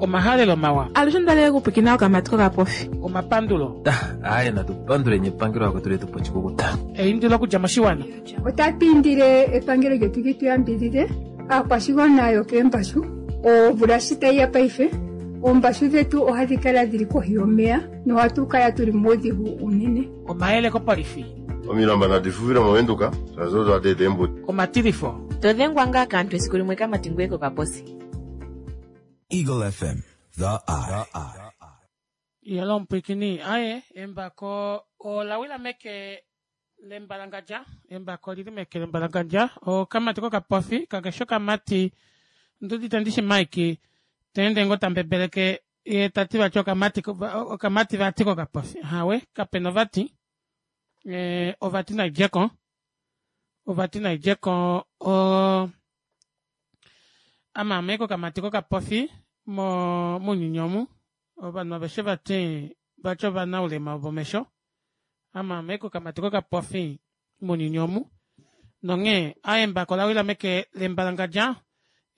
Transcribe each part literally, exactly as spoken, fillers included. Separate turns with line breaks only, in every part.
Omahalelo mawa.
Alushe ondalele kupwikina okamati kokapofi.
Omapandulo.
Aaye natu panduleni epangelo lako tuli tupa oshikukuta.
Eindilo okudja moshiwana.
Otatu indile epangelo lyetu li tu yambidhidhe aakwashigwana yokeembashu. Omvula shi tayi ya paife, oombashu dhetu ohadhi kala dhili kohi yomeya nohatu kala tuli muudhigu unene.
Omayele kopolifi.
Omilamba nadi fufile movenduka shaashi odo hadi eta eembuto.
Omatilifo.
To dhengwa ngaa kaantu esiku limwe kamati ngweye kokaposi.
Eagle F M, The Eye.
Yalo omupwikini aye embako ola wila meke lembalangandja, embako olili meke lembalangandja, okamati kokapofi kakeshi okamati nduudite ndishi Mike teende ngoo tambebeleke yee tati vati okamati okamati vati kokapofi hawe kapena ovati ee ovati naidjeko ovati naidjeko oo ame aame kokamati kokapofi mo mounyuni omu ovanhu aveshe vati vati ovanaulema vomesho ame aame kokamati kokapofi mounyuni omu nonghee aaye embako olawila meke lembalangandja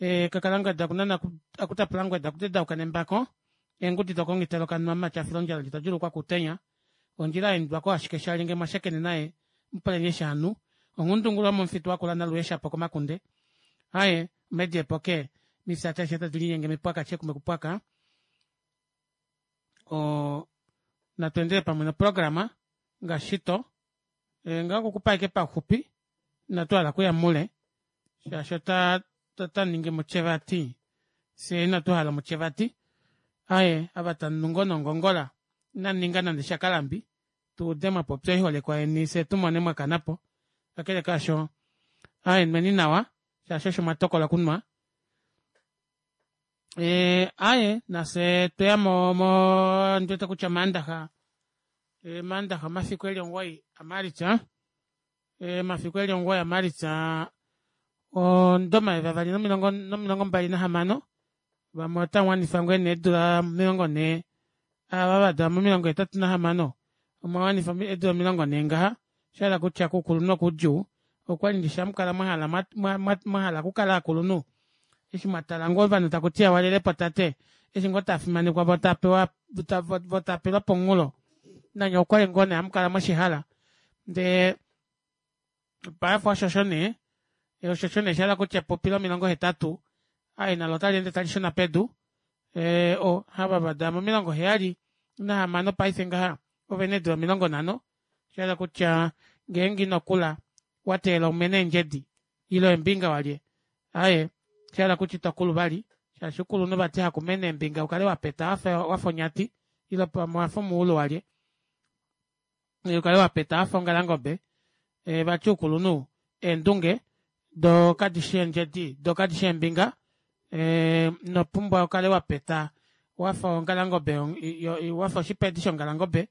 ee kakalangweda okunana akutapulangweda okutedauka nembako eengudi dokongitelo kanwa mumati afila ondjala ndje tadjuulukwa kuutenya ondjila yaendwako ashike shali ngee mwashakene naye mupuleni eshi hanu onghundungulu yomomufitu wakula naluye shapo komakunde aaye omedi epoke mifyati ashishe tadi linyenge mipwaka shekume kupwaka oo natu endele pamwe noprograma ngaashi shito ngaho okukupa ashike pauxupi inatu hala okuya mule shaashi ota otaningi mutyevati fyee inatu hala mutyevati aaye ava tamunu ngoo nongongola inamuninga nande shakalambi tuude mwapopya oiholekwa yeni fyee tumone mwakanapo kakele kaasho aaye nweni nawa shaashi osho mwatokola okunwa ee aaye nafye tweya mo ondiwete kutya omaandaxa omaandaxa omafiku eli omugoyi a Maalitsa omafiku eli omugoyi a Maalitsa omudo omayovi avali nomilongo mbali nahamano vamwe otamuwanifa ngoo nee eedula omilongo nhee ava vadalwa momilongo hetatu nahamano omwawanifa eedula omilongo nhee ngaha oshahala kutya koukulunhu okoudjuu okwali ndishi hamukala mwahala mwahala okukala ovakulunhu eshi mwatala ngoo ovanhu takutiwa walelepo tate eshi ngoo taafimanekwa voo taapewa voo taapelwa pomunghulo nanye okwali ngoo nee hamukala mweshihala ndee paife oshosho nee oshosho nee oshahala kutya epupi lomilongo hetatu aaye nalo otaleende talishuna pedu ee o ava vadalwa momilongo heyali nahamano paife ngaha ovena eedula omilongo nhano oshahala kutya ngeenge inokula wateelela umene eendjedi ile eembinga walye aaye oshahala kutya itokulu vali shaashi oukulunhu vati hakumene eembinga ukale wapeta wafa onyati ile pamwe owafa omuulu walye ukale wapeta wafa ongalangobe vati oukulunhu eendunge doo kadishi eendjedi doo kadishi eembinga inopumbwa ukale wapeta wafa ongalangobe wafa oshipedi shongalangobe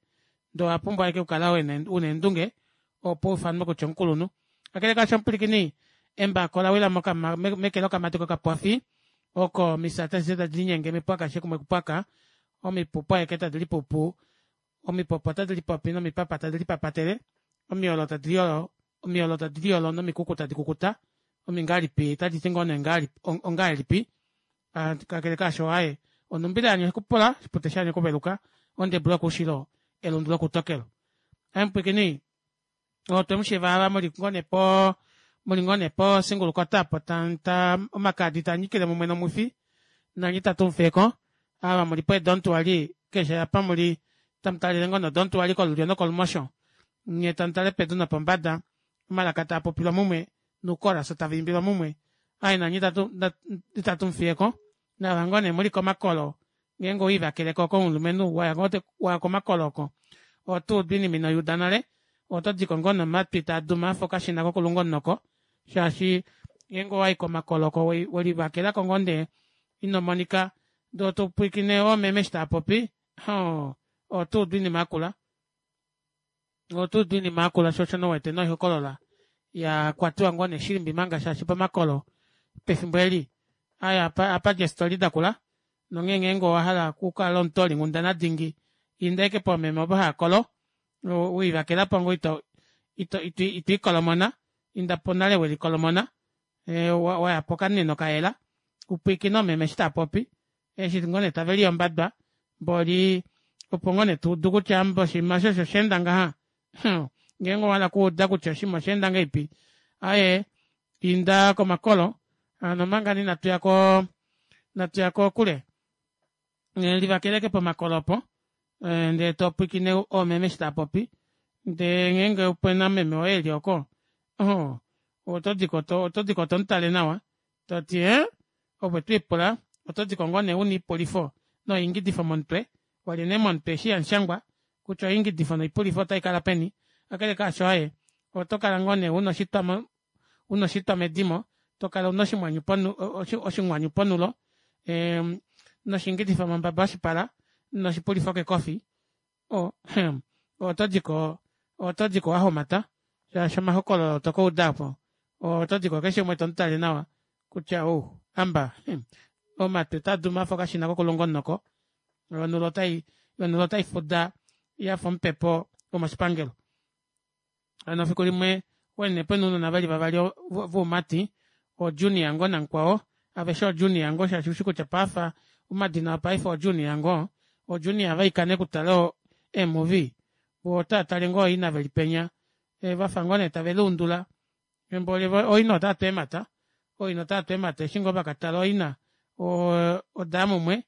ndee owapumbwa ashike okukala una eendunge opo ufanwe kutya omukulunhu. Kakele kaasho omupwilikini embako olawila meke lokamati kokapofi oko omifya adishe tadi linyenge mipwaka shakumwe kupwaka omipupu aeke tadi lipupu omipopi otadi lipopi nomipapa tadi lipapatele omiyolo tadi omiyolo tadi liyolo nomikuku tadi kukuta omingahelipi otaditi ngoo nee ongahelipi kakele kaasho aaye onumbila yanya okupula oshipute shanya okuveluka ondebu yokoushilo elundu lokoutokelo. Aaye mupwiikini otwemushiiva ava muli ngoo nee poo muli ngoo nee po singulukota opo omakaadi taanyikile mumwe nomwifi nanye itatu mufiyeko ava muli pee don't worry keshe apa muli tamutalele ngoo nee o don't worry kolulyo nokolumosho nyee tamutale pedu nopombada omalaka taapopilwa mumwe noukolas tava imbilwa mumwe aaye nanye itatu mufiyeko naava ngoo nee muli komakolo ngeenge owiivakeleko komulumenhu waya komakolo oko otuudu oinima inoyuuda nale otodiko ngoo nomatwi taaduma afa okashina kokulunga omunoko shaashi ngeenge owayi komakolo oko welivakelako ngoo ndee inomonika ndee topwiikine oomeme eshi taapopi hoo otuudu oinima yakula otuudu oinima yakula shoo osho nee uwete noihokolola yakwatiwa ngoo nee shilimbi manga shaashi pomakolo pefimbo eli aaye ohapadji eestori dakula nonghee ngeenge owahala okukala omutoolinghundana dingi inda ashike poomeme ovo haakolo welivakelapo ngoo ito ito itwiikolomona indapo nale welikolomona waya pokamunino kayela upwiikine oomeme eshi taapopi Eshi ngoo nee taveliya ombadwa mboli opo ngoo nee tuudu kutya oshinima eshi osho oshaenda ngaha ngeenge owahala okuuda kutya oshinima oshaenda ngahelipi aaye inda komakolo hano omanga nee inatuya koo inatuya kokule livakela ashike pomakolo opo ndee topwiikine oomeme eshi taapopi ndee ngeenge opena meme woye eli ooko ohoo otodiko otodiko tomutale nawa toti ee ove otwiipula otodiko ngoo nee una oipulifo noingidifo momutwe walya nee momutwe eshi hamushangwa kutya oingidifo noipulifo otaikala peni kakele kaasho aaye otokala ngoo nee una oshitwa una oshitwa medimo tokala una oshinghwanyu ponulo ee noshiingidifo mombaba yoshipala noshipulifo kekofi oo hmm otodiko otodiko wahomata shaashi omahokololo tokauda aapo otodiko keshe umwe tomutale nawa kutya ou hamba omatwi otaaduma afa okashina kokulunga omunoko yoo onulo otaifuda yafa omupepo womoshipangelo. Hano efiku limwe okwali nee pena ounona veli vavali voumati oo junior ngoo namukwao aveshe oo junior ngoo shaashi oushi kutya paife omadina opaife oo junior ngoo oo junior vaika nee okutala ee movie voo otaatale ngoo ooina veli penya vafa ngoo nee tave luundula mboli ooina otaatu eemata ooina otaatu eemata eshi ngoo vakatala ooina odaya mumwe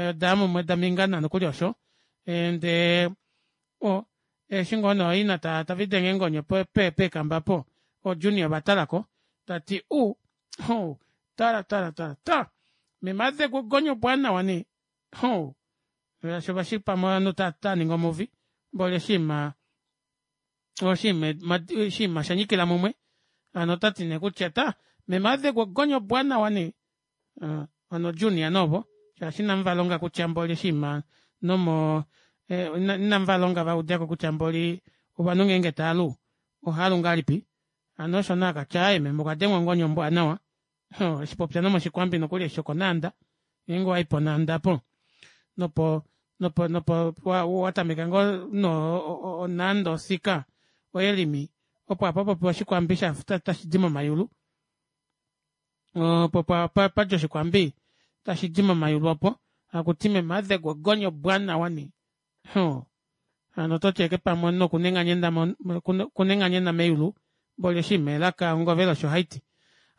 odaya mumwe damingana nokuli osho ndee oo eshi ngoo nee ooina tavelidenge eengonyo peekamba aapo oo junior ovatalako tati uu tala tala tala meme adengwa ogonyo ombwaanawa nee hoo shaashi ovashi pamwe ovanhu otavaningi o movie mboli oshiima oshiima oshanyikila mumwe hano otati nee kutya taa meme adengwa ogonya ombwaanawa nee hano o junior nee ovo shaashi inamuvalonga kutya mboli oshiima nomo inamuvalonga vaudeko kutya mboli ovanhu ngeenge taalu ohaalu ngahelipi hano osho nee akatya aaye meme okwadengwa ongonyo ombwaanawa eshipopya nomoshikwambi nokuli eshi shokonaanda ngeenge owayi ponaanda aapo nopo nopo nopo watameka ngoo no naanda osika oelimi opo hapapopiwa oshikwambi shafa tashidi momayulu opo padja oshikwambi tashidi momayulu opo hakuti meme adengwa ogonya ombwaanawa nee hoo hano ototi ashike pamwe omunhu okuna enganyena meyulu mboli oshiima elaka ongovela osho haiti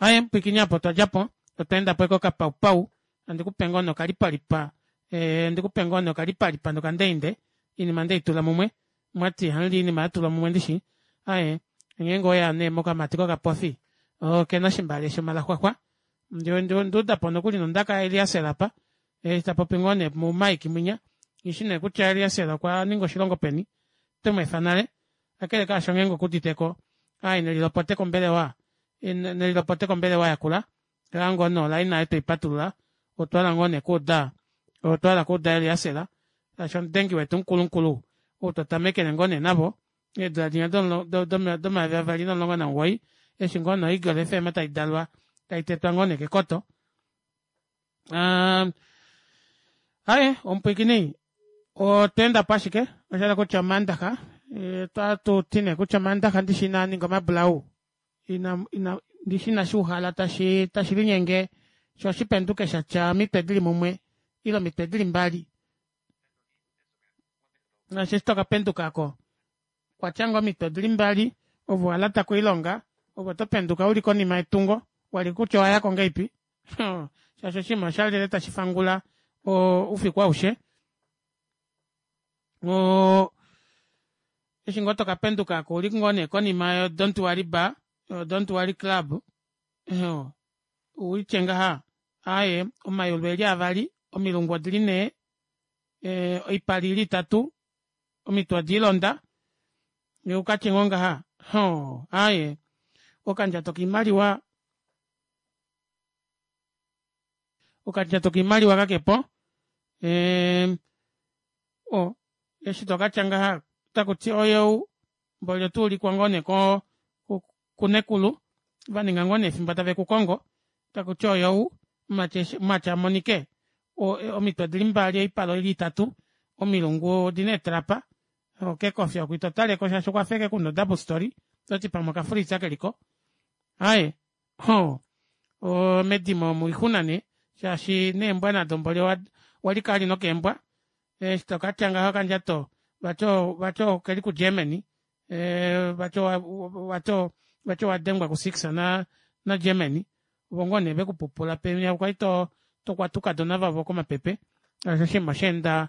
aaye mupwiikini aapo otwadjapo otwaendapo ashike okapaupawu handikupe ngoo nee okalipalipa handikupe ngoo nee okalipalipa nokandeinde oinima ndeitula mumwe omwati ihamuli oinima yatulwa mumwe ndishi aaye ngeenge oweya nee mokamati kokapofi okena oshimbale shomalaxwalwa ondaudapo nokuli nondaka ya eliaser aapa eshi tapopi ngoo nee mu mike munya nghishi neekutya eliaser okwaninga oshilongo peni otwemweefa nale kakele kaasho ngeenge okuuditeko aaye nelilopote kombelewa nelilopote kombelewa yakula shaashi ngoo nee oline aayo tweipatulula otwahala ngoo nee okuuda otwahala okuuda eliaser shaashi omudengi wetu mukulukulu ou twatamekele ngoo nee navo eedula dinya domayovi avali nomulongo namugoyi eshi ngoo nee o eagle fm taidalwa taitetwa ngoo nee kekoto aa aaye omupwiikini otwa endapo ashike oshahala kutya omandaxa otatuti nee kutya omandaxa ndishi inaaninga omabulau ina ina ndishi inashuuhala tashi tashilinyenge shoo shipenduke shatya omitwe dili mumwe ile omitwe dili mbali shaashi eshi tokapenduka aako okwatya ngoo omitwe odili mbali ove owalata koilonga ove otopenduka uli konima yetungo wali kutya owayako ngahelipi shaashi oshinima oshalile tashifangula oufiku aushe oo eshi ngoo tokapenduka aako ouli ngoo nee konima yo don't worry bar don't worry club uitye ngaha aaye omayulu eli avali omilungu odili nhee oipala ili itatu omitwe odiilonda ukatye ngoo ngaha hoo aaye okandjato koimaliwa okandjato koimaliwa kakepo ee oo eshi tokatya ngaha otakuti oyou mboli otuulikwa ngoo nee kunekulu vaninga ngoo nee efimbo tave kukongo takuti oyou mumati amonike omitwe odili mbali oipala oili itatu omilungu odina eetrapa kekofi oko itotaleko shaashi okwafa ashike kuna o double storey ototi pamwe oka freezer keliko aaye hoo medimo omo oixuna nee Shaashi neembwa nado mboli owalika vali nokeembwa eshi tokatya ngaha okandjato vati vati okeli ku germany ee vati vati owadengwa ku six na germany ovo ngoo nee vekupupula penya kwali tokwata oukadona vavo komapepe shaashi oshinima oshaenda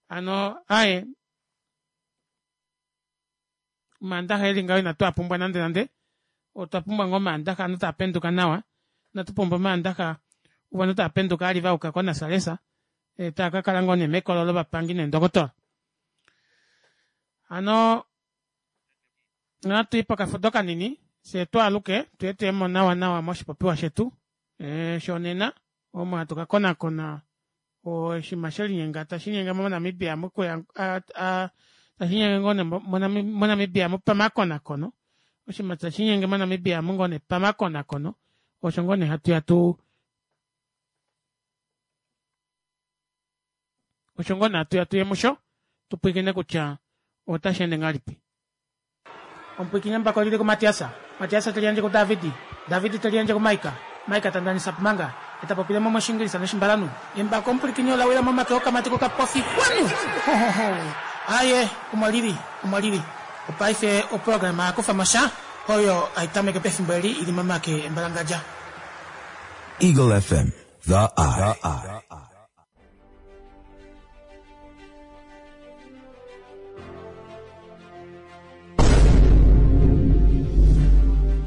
hano aaye omandaxa eli ngaho ina twaapumbwa nande nande otwa pumbwa ngoo omandaxa ovanhu taapenduka nawa ina tupumbwa omandaxa ovanhu taapenduka vali vayuka ko nasalesa taakakala ngoo nee mekolo lovapangi neendokotola. Hano natwii pokafudo kanini fyee twaaluke tuye tuyemo nawa nawa moshipopiwa shetu shonena omo hatu kakonakona oshinima shelinyenga tashiinyenge mo namibia mokuya tashiinyenge ngoo nee monamibia omu pamakonakono oshinima tashiinyenge mo namibia omu ngoo nee pamakonakono osho ngoo nee hatuya tuu osho ngoo nee hatuya tuye musho tupwiikine kutya otasheende ngahelipi. Omupwiikini embako olili kumatiasa matiasa teliyandje kudavidi davidi teliyandje kumaika maika tandanisa pumanga etapopilemo moshingilisa noshimbalanhu embako omupwilikini olawila momake okamati kokapofi kwanu aaye omo lili omo lili opaife oprograma yakufamosha oyo haitameke pefimbo eli ili momake embalangadja.
Eagle F M, the eye.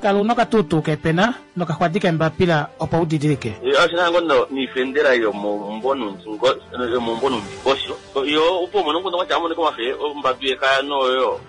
Kala una okatuutuu kepena nokaxwadi kembapila opo udidilike.
Oshinango niifendela yomombonundikosho yo opo mono nguno kwacha amone komafe ombatu yekaya noyo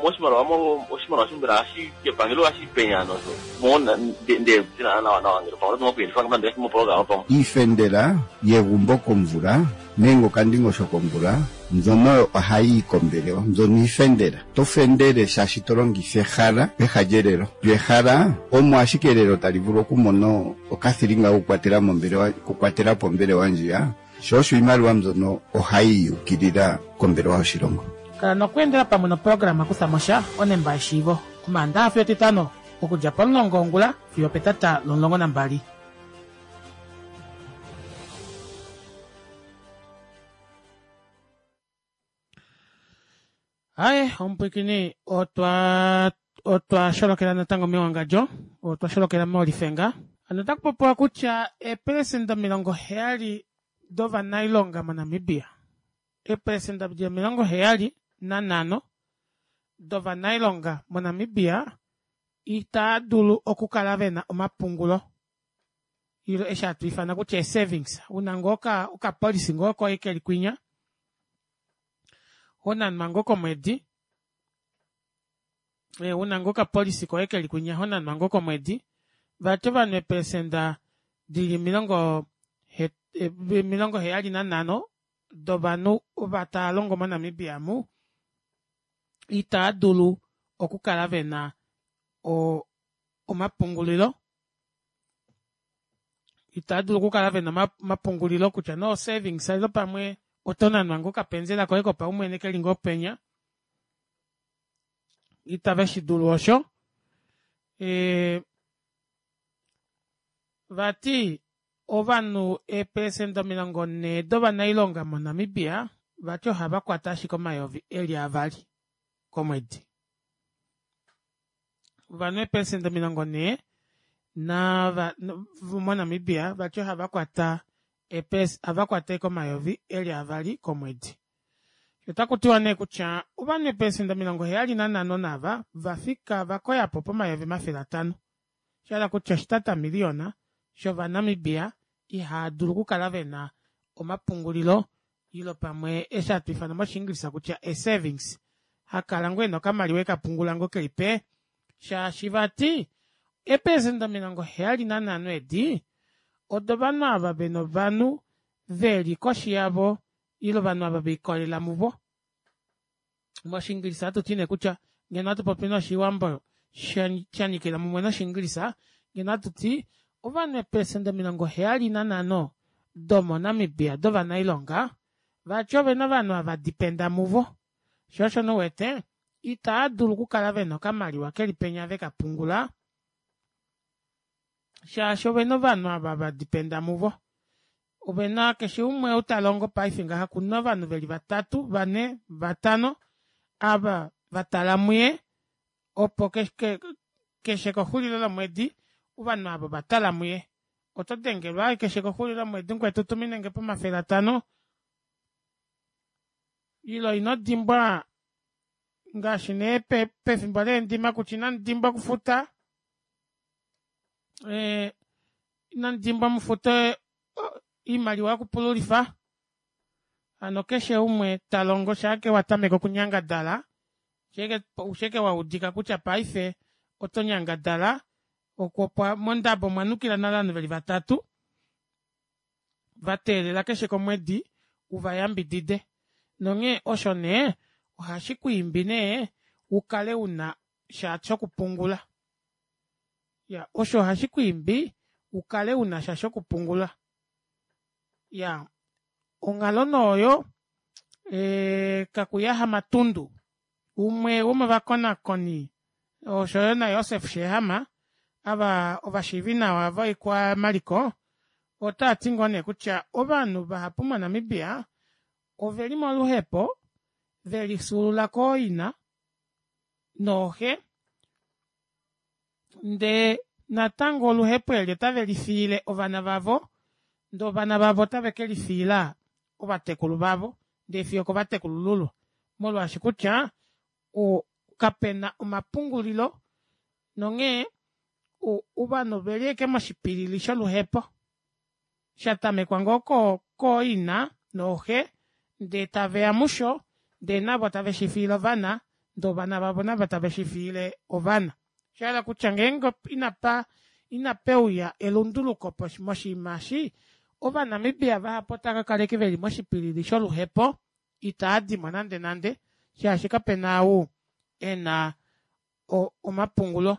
moshimaliwa mo oshimaliwa shimbela ashi kepangelo ashi penya nozo mona nde tina nawa nawa ngelo pamwe timo kuyelifa ngamba ndee timo pamwe.
Iifendela yegumbo komvula nenge okandingosho komvula mbyono ohayi yi kombelewa mbyono iifendela to fendele shaashi to longitha ehala peha lyelelo lyo ehala omo ashike elelo tali vulu okumona okathilinga okukwatela mombelewa okukwatela po ombelewa ndjiya sho osho iimaliwa mbyono ohayi yukilila kombelewa yoshilongo.
Kala nokweendela pamwe noprograma kuthamosha onemba yeshiivo omaandaxa fiyo etitano okudja pomulongo wongula fiyo petata lomulongo nambali. Aye omupwikini otwa otwa sholokela natango mewangadjo otwa sholokela molifenga hano otakupopiwa kutya eepelesenda omilongo heyali dovanailonga moNamibia eepelesenda omilongo heyali nanhano dovanailonga moNamibia itaa dulu okukala vena omapungulo ile eshi hatwiifana kutya ee-savings una ngoo okapolicy ngoo koye keli kwinya honanwa ngoo komwedi una ngoo okapolicy koye keli kwinya honanwa ngoo komwedi vati ovanhu eepelesenda dili omilongo omilongo heyali nanhano dovanhu ova taalongo mo namibia omu itaadulu okukala vena oo omapungulilo itaadulu okukala vena omapungulilo kutya nee o-savings ile pamwe oto nanwa ngoo okapenzela koye kopaumwene keli ngoo penya itave shidulu osho ee vati ovanhu eepelesenda omilongo nhee dovanailonga mo namibia vati ohavakwata ashike omayovi eli avali komwedi. Ovanhu eepelesenda omilongo nhee nava monamibia vati ohavakwata ohavakwata ashike omayovi eli avali komwedi. Otakutiwa nee kutya ovanhu eepelesenda omilongo heyali nanhano naava vafika vakoyapo pomayovi omafele atano shahala kutya oshitata milliyona shovanamibia ihaadulu okukala vena omapungulilo ile pamwe eshi hatwiifana moshingilisa kutya ee-savings hakala ngoo ena okamaliwa ekapungula ngoo keli pee shaashi vati eepelesenda omilongo heyali nanhano edi odo ovanhu ava vena ovanhu veli koshi yavo ile ovanhu ava velikolelela muvo. Moshingilisa ohatuti nee kutya ngeno ohatupopi noshiwambo shanyikila mumwe noshingilisa ngeno ohatuti ovanhu eepelesenda omilongo heyali nanhano domo namibia dovanailonga vati ovena ovanhu ava dependa muvo shoo osho nee uwete itaadulu okukala vena okamaliwa keli penya vekapungula shaashi ovena ovanhu ava vadependa muvo. Ovena keshe umwe ou talongo paife ngaha okuna ovanhu veli vatatu vanhe vatano ava vatala muye opo keshe kexulilo lomwedi ovanhu aava ovatala muye oto dengelwa ashike keshe kexulilo lomwedi mukwetu tuminengepo omafele atanho ile inodimbwa ngaashi nee pefimbo leendima kutya inamudimbwa okufuta ee inamudimbwa mufute oimaliwa yokupululifa hano keshe umwe talongo shaake watameke okunyangadala oushike waudika kutya paife oto nyangadala mondabo omwanukila nale ovanhu veli vatatu vateelela keshe komwedi uvayambidide nonghee osho nee ohashikwiimbi nee ukale unasha shokupungula iyaa osho ohashikwiimbi ukale unasha shokupungula iyaa onghalo nee oyo ee kakuya hamatundu umwe womovakonakoni oshoyo na joseph sheehama ava ovashiivinawa voikwamaliko otaati ngoo nee kutya ovanhu vahapu mo namibia oveli moluhepo velifyuulula kooina nooxe ndee natango oluhepo eli ota velifiile ovana vavo ndee ovana vavo otave kelifiila ovatekulu vavo ndee fiyo okovatekulululwa molwaashi kutya kapena omapungulilo nonghee ovanhu oveli ashike moshipilili sholuhepo shatamekwa ngoo kooina nooxe ndee taveya musho ndee navo tave shifiile ovana ndee ovana vavo navo tave shifiile ovana oshahala kutya ngeenge inapa inapeuya elunduluko moshinima eshi ova namibia vahapu otava kakala ashike veli moshipilili sholuhepo itaadimo nande nande shaashi kapena ou ena omapungulo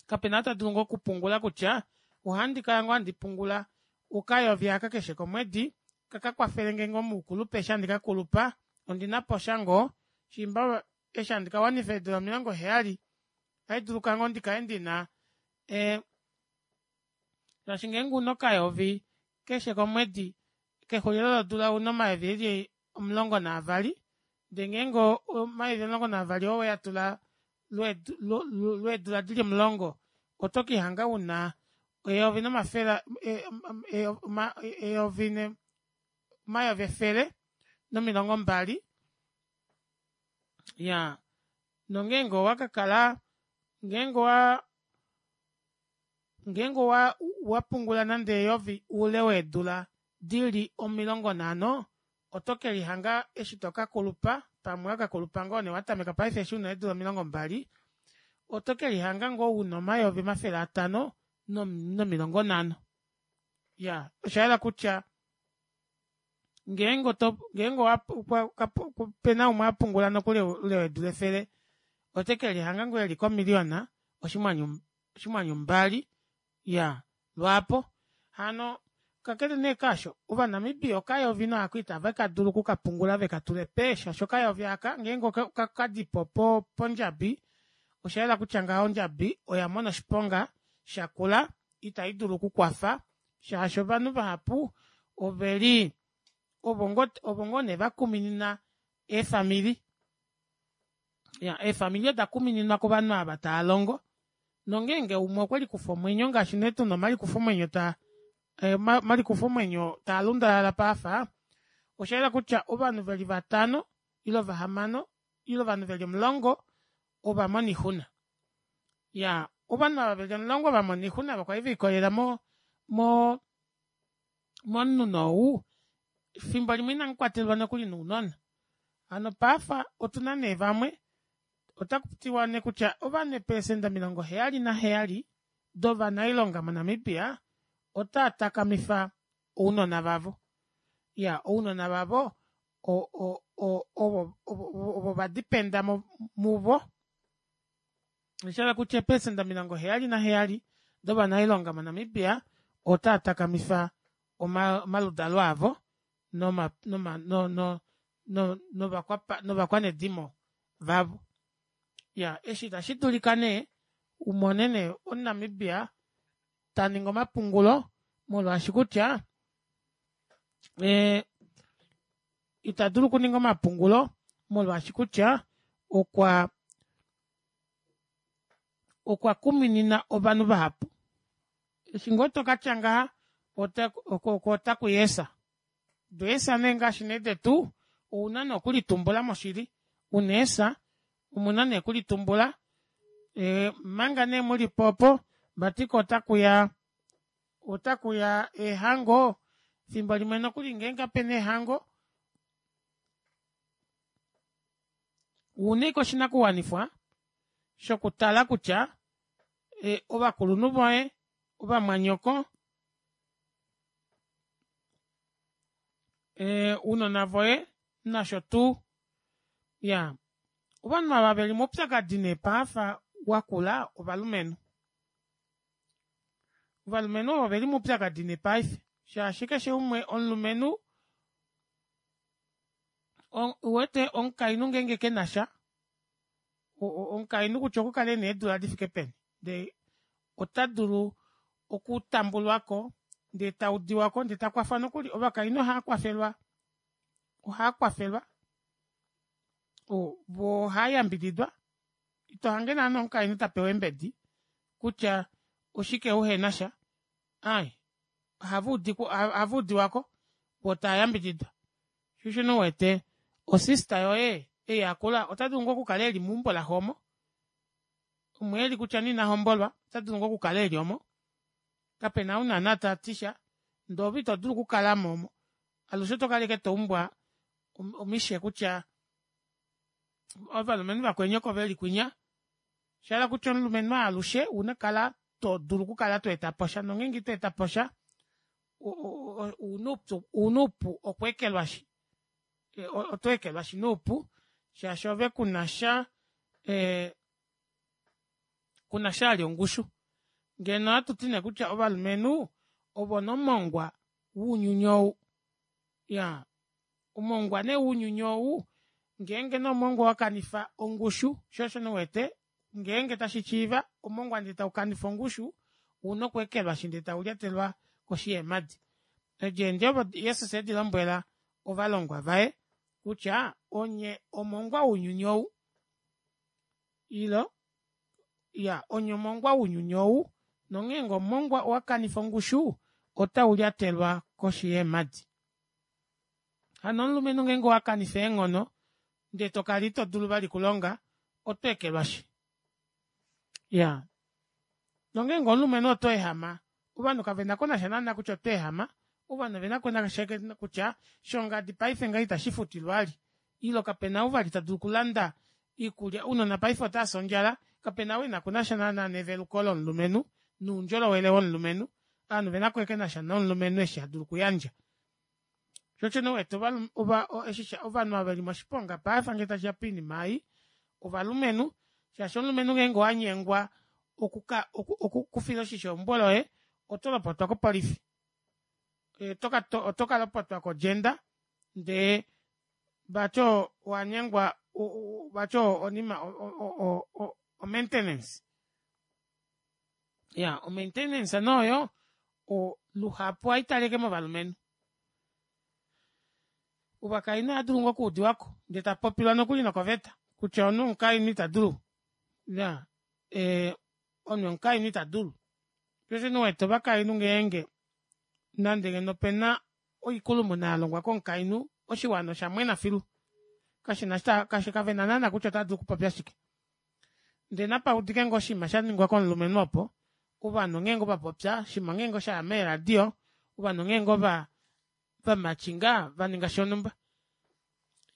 kapena ou tadulu ngoo okupungula kutya ohandi kala ngoo handi pungula okayovi aaka keshe komwedi kakakwafelenge ngoo moukulupe eshi handi kakulupa ondinaposha ngoo shiimba eshi handi kawanifa eedula omilongo heyali ohaiduluka ngoo ndikale ndina ee shaashi ngeenge ouna okayovi keshe komwedi kexulilo lodula ouna omayovi eli omulongo naavali ndee ngeenge omayovi omulongo naavali oo oweatula lweedula dili omulongo oto kelihanga una eyovi nomafele eyovi omayovi efele nomilongo mbali iyaa nongeenge owakakala ngeenge owaa ngeenge owapungula nande eyovi oule weedula dili omilongo nhano oto kelihanga eshi tokakulupa pamwe owakakulupa ngoo nee watameka paife eshi una eedula omilongo mbali oto kelihanga ngoo una omayovi omafele atanho nomilongo nhano iyaa oshayela kutya ngeenge oto ngeenge opena umwe apungula nokuli oule weedula efele otekelihanga ngoo eli ko million oshinghwanyu mbali iyaa lwaapo hano kakele nee kaasho ova namibia okayovi nee aako ita vakadula okukapungula vekatule pee shaashi okayovi aaka ngeenge okadipo pondjabi oshayela kutya ngaho ondjabi oyamona oshiponga shakula ita idulu okukwafa shaashi ovanhu vahapu oveli ovo ngoo nee vakuminina eefamili iyaa eefamili oda kumininwa kovanhu ava tavalongo nongeenge umwe okwelikufa omwenyo ngaashi nee tuna omalikufomwenyo taa omalikufomwenyo taalundalala paife oshayela kutya ovanhu veli vatano ile vahamano ile ovanhu veli omulongo ovamona oixuna iyaa ovanhu ava veli omulongo vamona oixuna ava kwali velikolelela mo mo momunhu nee ou efimbo limwe inamukwatelwa nokuli nounona hano paife otuna nee vamwe otakutiwa nee kutya ovanhu eeprecenter omilongo heyali naheyali dovanailonga mo namibia otaatakamifa ounona vavo iyaa ounona vavo o- o- ovo vadependa muvo oshahala kutya eeprecenter omilongo heyali naheyali dovanailonga mo namibia otaa takamifa omaludalo avo noma noma no- no- novakwanedimo vavo iyaa eshi ita shidulika nee umone nee omu namibia taningi omapungulo molwaashi kutya E, ita dulu okuninga omapungulo molwaashi kutya okwa okwa kuminina ovanhu vahapu. Eshi ngoo tokatya ngaha ota kuyeesa deesa nee ngaashi nee detu ouna nee okulitumbula moshili una eesa omuna nee okulitumbula ee omanga nee mulipo opo vati koo otakuya otakuya eehango efimbo limwe nokuli ngenge kapena eehango ouna ashike oshinakuwanifwa shokutala kutya ovakulunhu voye ovamwanyoko ounona voye nasho tuu iyaa ovanhu ava veli moupyakadi nee paife wakula ovalumenhu. Ovalumenhu ovo veli moupyakadi nee paife shaashi keshe umwe omulumenhu uwete omukainhu ngenge kenasha omukainhu kutya okukale ena eedula difike peni ndee ota dulu okutambulwako ndee taudiwako ndee takwafwa nokuli ovakainhu ohaakwafelwa ohaakwafelwa voo ohaayambididwa itohange naana omukainhu tapewa eembedi kutya oshike uhenasha aaye ohava udiwako voo tayambididwa shoo osho nee uwete o sister yoye ei akula otadulu ngoo okukala eli meumbo laxe omo omo eli kutya nee inahombolwa otadulu ngoo okukala eli omo kapena ou naana tatisha ndee ove itodulu okukalamo omo alushe otokala ashike toumbwa omishe kutya ovalumenhu vakweni oko veli kwinya oshahala kutya omulumenhu aalushe ouna okukala todulu okukala tweetaposha nongenge ito etaposha ouna oupu okweekelwashi otweekelwashi noupu shaashi ove kunasha ee kunasha vali ongushu ngeno ohatuti nee kutya ovalumenhu ovo nee omongwa wounyuni ou iyaa omongwa nee wounyuni ou ngenge nee omongwa owakanifa ongushu shoo osho nee uwete ngenge tashishiiva omongwa ndee taukanifa ongushu ouna okweekelwashi ndee taulyatelwa koshi yeemadi. Edi eendjovo Jesus edilombwela ovalongwa vaye kutya onye omongwa wounyuni ou ilo iya onye omongwa wounyuni ou nongeenge omongwa owakanifa ongushu ota ulyatelwa koshi yeemadi. Hano omulumenhu ngenge owakanifa eenghono ndee tokala itodulu vali okulonga oto ekelwashi iyaa nongeenge omulumenhu oto ehama ovanhu kavenakonasha naana kutya oto ehama ovanhu ovenakonasha kutya shongadi paife ngaha ita shifutilwa vali ile kapena ou vali tadulu okulanda oikulya ounona paife otaafi ondjala kapena ou enakonasha naana neveluko lomulumenhu noundjolowele womulumenhu ovanhu ovenako ashike nasha nomulumenhu eshi tadulu okuyandja shoo osho nee uwete ovanhu ava veli moshiponga paife ngee tashiya poinima ei ovalumenhu shaashi omulumenhu ngeenge owanyengwa okuka okufila oshisho eumbo loye otolopotwa kopolifi otoka lopotwa ko gender ndee vati owanyengwa vati onima o maintenance iya o maintenance nee oyo luhapu ohaitalike ashike movalumenhu ovakainhu ohaadulu ngoo okuudiwako ndee tapopilwa nokuli nokoveta kutya omunhu womukainhu itadulu iyaa ee omunhu womukainhu itadulu shoo osho nee uwete ovakainhu ngeenge nande ngeno opena oikulumuna yalongwa komukainhu oshiwana oshamwena filu kashina kavena naana kutya otaadulu okupopya shike ndee napaudike ngoo oshinima shaningwa komulumenhu opo ovanhu ngeenge ovapopya oshinima ngeenge oshaya meeradio ovanhu ngeenge ova vamatchinga vaninga shonumba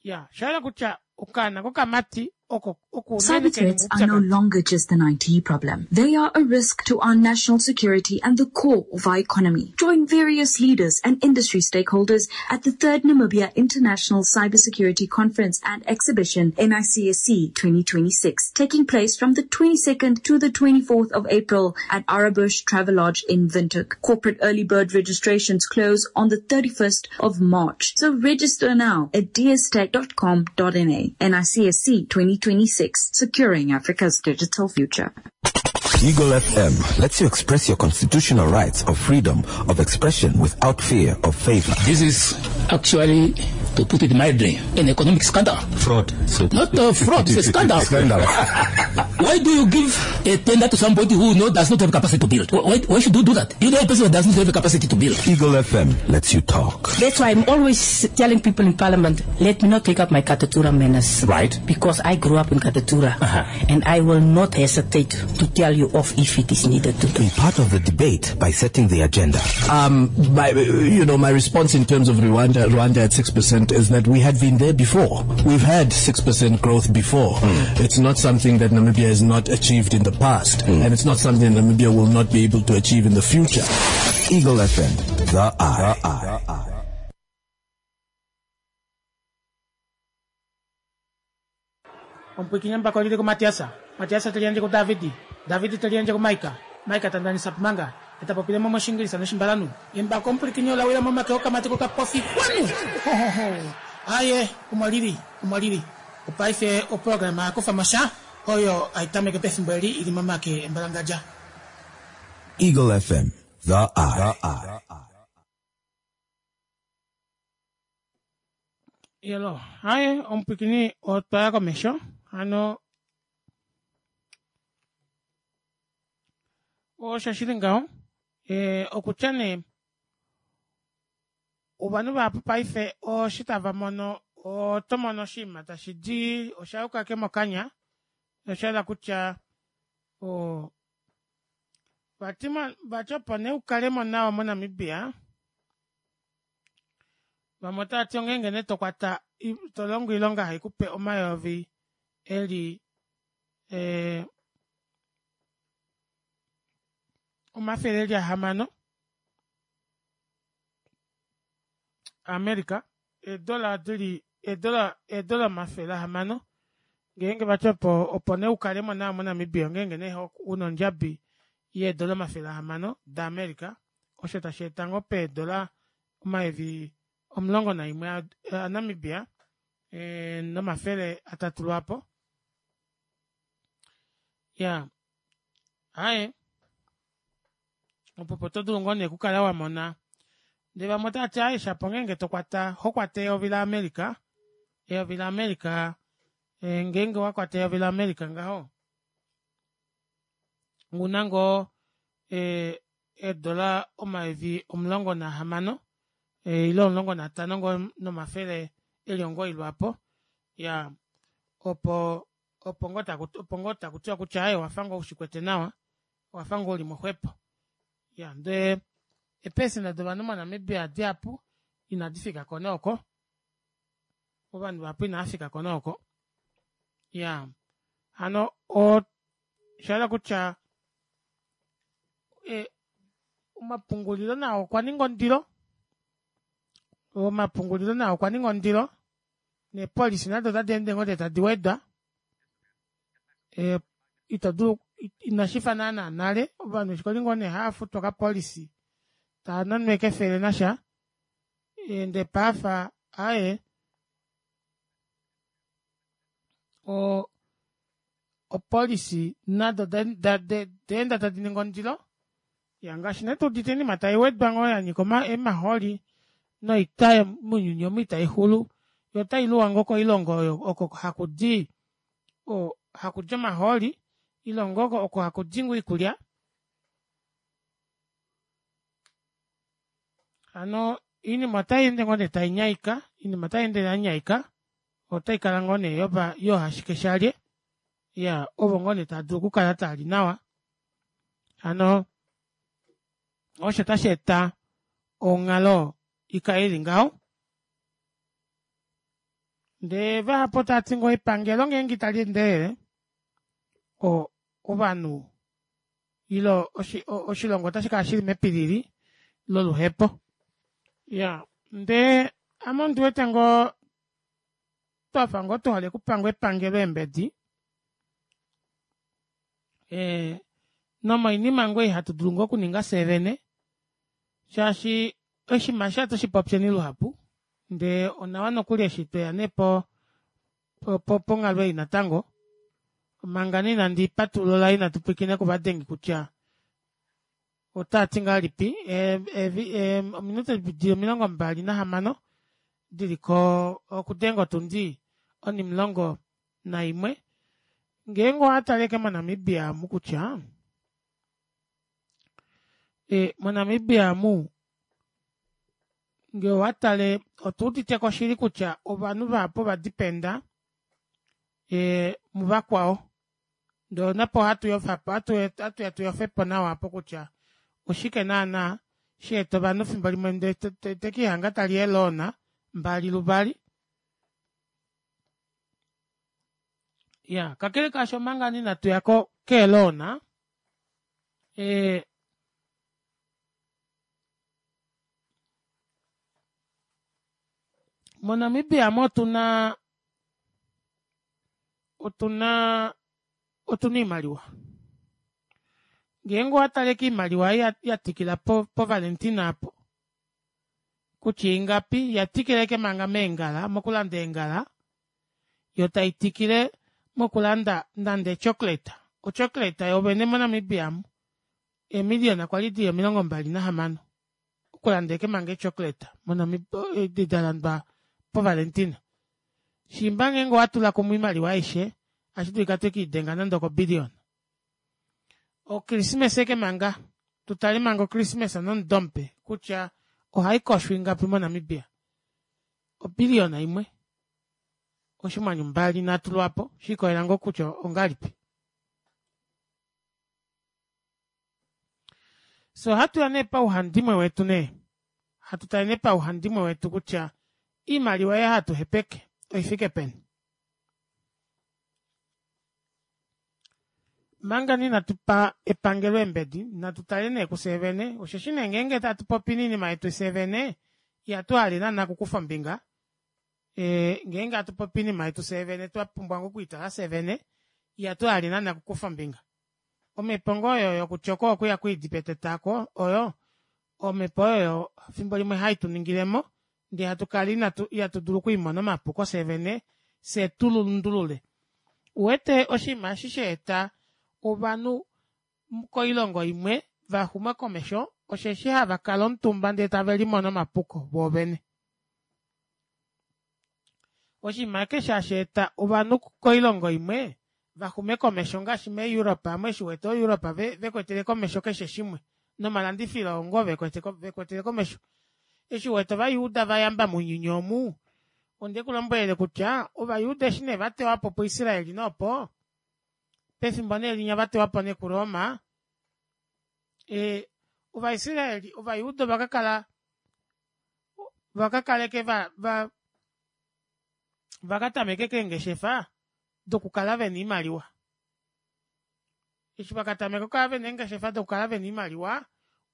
iya oshahala kutya okaana kokamati oko oko unene
Cyber threats are no longer just an I T problem. They are a risk to our national security and the core of our economy. Join various leaders and industry stakeholders at the third Namibia International Cybersecurity Conference and Exhibition, N I C S C twenty twenty-six, taking place from the twenty-second to the twenty-fourth of April at Arabush Travelodge in Windhoek. Corporate early bird registrations close on the thirty-first of March. So register now at d s tech dot com dot N A. N I C S C twenty twenty-six, securing Africa's digital future.
Eagle F M lets you express your constitutional rights of freedom of expression without fear of favor.
This is actually, to put it mildly, an economic scandal.
Fraud. So
Not a fraud, it's a scandal.
Scandal.
Why do you give a tender to somebody who know, does not have capacity to build? Why, why should you do that? You know a person who does not have the capacity to build.
Eagle F M lets you talk.
That's why I'm always telling people in Parliament, let me not take up my Katutura manners.
Right.
Because I grew up in Katutura.
Uh-huh.
And I will not hesitate to tell you off if it is needed to do.
Be part of the debate by setting the agenda.
Um, my, you know, my response in terms of Rwanda, Rwanda at six percent is that we had been there before. We've had six percent growth before.
Mm.
It's not something that Namibia has not achieved in the past,
mm.
and it's not something Namibia will not be able to achieve in the future.
Eagle F M, the Eye. The Eye.
Ompuikinya mpaka olile ku Matiasa. Matiasa telianje ku Davidi. Davidi telianje ku Maika. Maika tandani sapmanga. Etapopile momo shingilisa noshimbalanu. Embako ompulikinya olawila momake okamatiko kapofi kwanu. Ho, ho, ho. Aye, umwalili, umwalili. Opaife oprograma yakufa masha. Oyo aitameke pefimbo eli ili mamake embalangaja.
Eagle F M, the Eye. The Eye.
Yelo, aye, ompwikini otwaya komesho. Ano, osho shili ngaho, e, okutya nee, ovanhu vahapu paife oshi tava mono, oto mono oshinima tashi di, osha yuka ke mokanya, osha hala kutya, o, vati mo, vati opo nee ukale mo nawa moNamibia, vamwe otava ti ongeenge nee tokwata, tolongo oilonga haikupe omayovi eli eh, omafele eli ahamano America, eedola dili, eedola, eedola omafele ahamano, ngeenge vati opo, opo nee ukale mo nawa moNamibia, ngeenge nee una ondjabi yeedola omafele ahamano daAmerica, osho tashi eta ngoo peedola omayovi omulongo naimwe aNamibia, e, nomafele atatu lwapo. Ya. Aye. Opo oto dulu ngoo nee okukala wa mona. Ndele vamwe otava ti, aye, shapo ngeenge tokwata, ho kwata eyovi laAmerica, eyovi laAmerica, e, ngeenge wa kwata eyovi laAmerica ngaho, una ngoo, e, eedola omayovi omulongo nahamano, e, ile omulongo natano ngoo nomafele eli omugoyi lwapo. Ya, opo, opo ngoo taku, opo ngoo taku tiwa kutya, aye, owafa ngoo ushikwete nawa, owafa ngoo uli moxwepo. Ya, ndee eepesenda dovanhu moNamibia dihapu inadi fika ko nooko. Ovanhu vahapu inava fika ko nooko. Ya, hano, o, osha kutya, e, omapungulilo nao okwa ninga ondilo. Omapungulilo nao okwa ninga ondilo. Neepolisi nado otadi ende ngoo tadi wedwa. E, ito dulu, inashi fa naana nale, ovanhu eshi kwali ngoo nee hava futwa kapolisi, tava nanwa kefele nasha, ndee paafa, aye, o, opolisi nado deenda tadi ningi ondilo. Ya, ngaashi nee tuudite oinima tai wedwa ngoo ya nyika emahooli, noita mounyuni omu itai xulu, yo otai luwa ngoo koilongo oyo oko haku di, o, haku di omahooli, ilongo oko oko haku di ngoo oikulya. Hano, oinima otai ende ngoo nee tai nyaika, oinima otai ende ya nyaika, otai kala ngoo nee yopa, yohashike shalye, ya, ovo ngoo nee tava dulu okukala tali nawa. Hano, osho tashi eta onghalo ikale ili ngaho. Ndee vahapu otava ti ngoo epangelo ngeenge itali endelele, o, ovanhu, ilo oshi, oshilongo otashi kala shili mepilili loluhepo. Ya, ndee ame ondi wete ngoo twafa ngoo tuhole okupanga epangelo eembedi, e, nomoinima ngoo ihatu dulu ngoo okuninga fyee vene, shaashi oshinima sha toshipopyeni luhapu, ndee onawa nokuli eshi tweya nee po, po, ponghalo ei natango, manga nee inandi patulula inatu pwilikina kuvadengi kutya otava ti ngahelipi, e, e, e, ominute di omilongo mbali nahamano, Diliko okudenga otundi onimulongo naimwe. Ngeenge owatale ashike mo Namibia omu kutya ee mo Namibia omu ngee owatale otuuditeko shili kutya ovanhu vahapu ova dependa ee muvakwao ndee napo ohatuyofapo ohatuya tuyofepo nawa aapo kutya oshike naana shaeta ovanhu efimbo limwe ndee tekelihanga tali ee loan mbali luvali. Iyaa kakele kaasho omanga ngoo inatuya kee loan ee mo Namibia aamu otuna otuna otuna oimaliwa ngeenge owatale kiimaliwa ei yatikila po valentina aapo kutya ingapi yatikila ashike manga meengala mokulanda eengala yoo taitikile mokulanda nande ee chocolate o chocolate yoovene mo namibia aamu ee million kwali dili omilongo mbali nahamano okulanda ashike manga ee chocolate edi dalandwa po valentina shiimba ngenge owatula kumwe oimaliwa aishe ohashidulika twekiidenga nande oko billion. O christmas ashike manga tutale manga o christmas nomudo mupe kutya ohaikosho ingapi mo namibia o billion imwe oshinghwanyu mbali nhatu lwaapo shikolela ngoo kutya ongahelipi. Fyee ohatuya nee pauhandimwe wetu nee hatu tale nee pauhandimwe wetu kutya oimaliwa ei hatu hepeke oifike peni. Omanga nee inatupa epangelo eembedi natu tale nee kufyee vene osheshi nee ngenge hatupopi oinima yetu fyee vene ihatuhale naana okukufa ombinga ee ngenge hatupopi oinima yetu fyee twapumbwa ngoo okwiitala fyee vene ihatuhale naana okukufa ombinga omepo ngoo oyo yokutyoka okuya kwiidi peteta aako oyo omepo oyo efimbo limwe haituningilemo ndee hatukala ihatudulu okwiimona omapuko fyee vene fyee tulundulule ouwete oshinima eshi shaeta ovanhu koilongo imwe vaxuma komesho osheshi havakala omutumba ndee tavelimono omapuko voovene. Oshinima ashike eshi hasheeta ovanhu koilongo imwe vaxume komesho ongaashi mee europe aamo eshi uwete oo europe vekwetele komesho keshe shimwe nomalandifilo oongo vekwetele komesho eshi uwete ovayuuda vayamba mounyuni omu ondekulombwelele kutya ovayuuda eshi nee vatewapo pu israel nee opo pefimbo neelinya vatewapo nee ku roma ee ovaisraeli ovayuuda ovakakala ovakakala ashike vaa vakatameka ashike eengeshefa dokukala vena oimaliwa eshi vakatameka okukala vena eengeshefa dokukala vena oimaliwa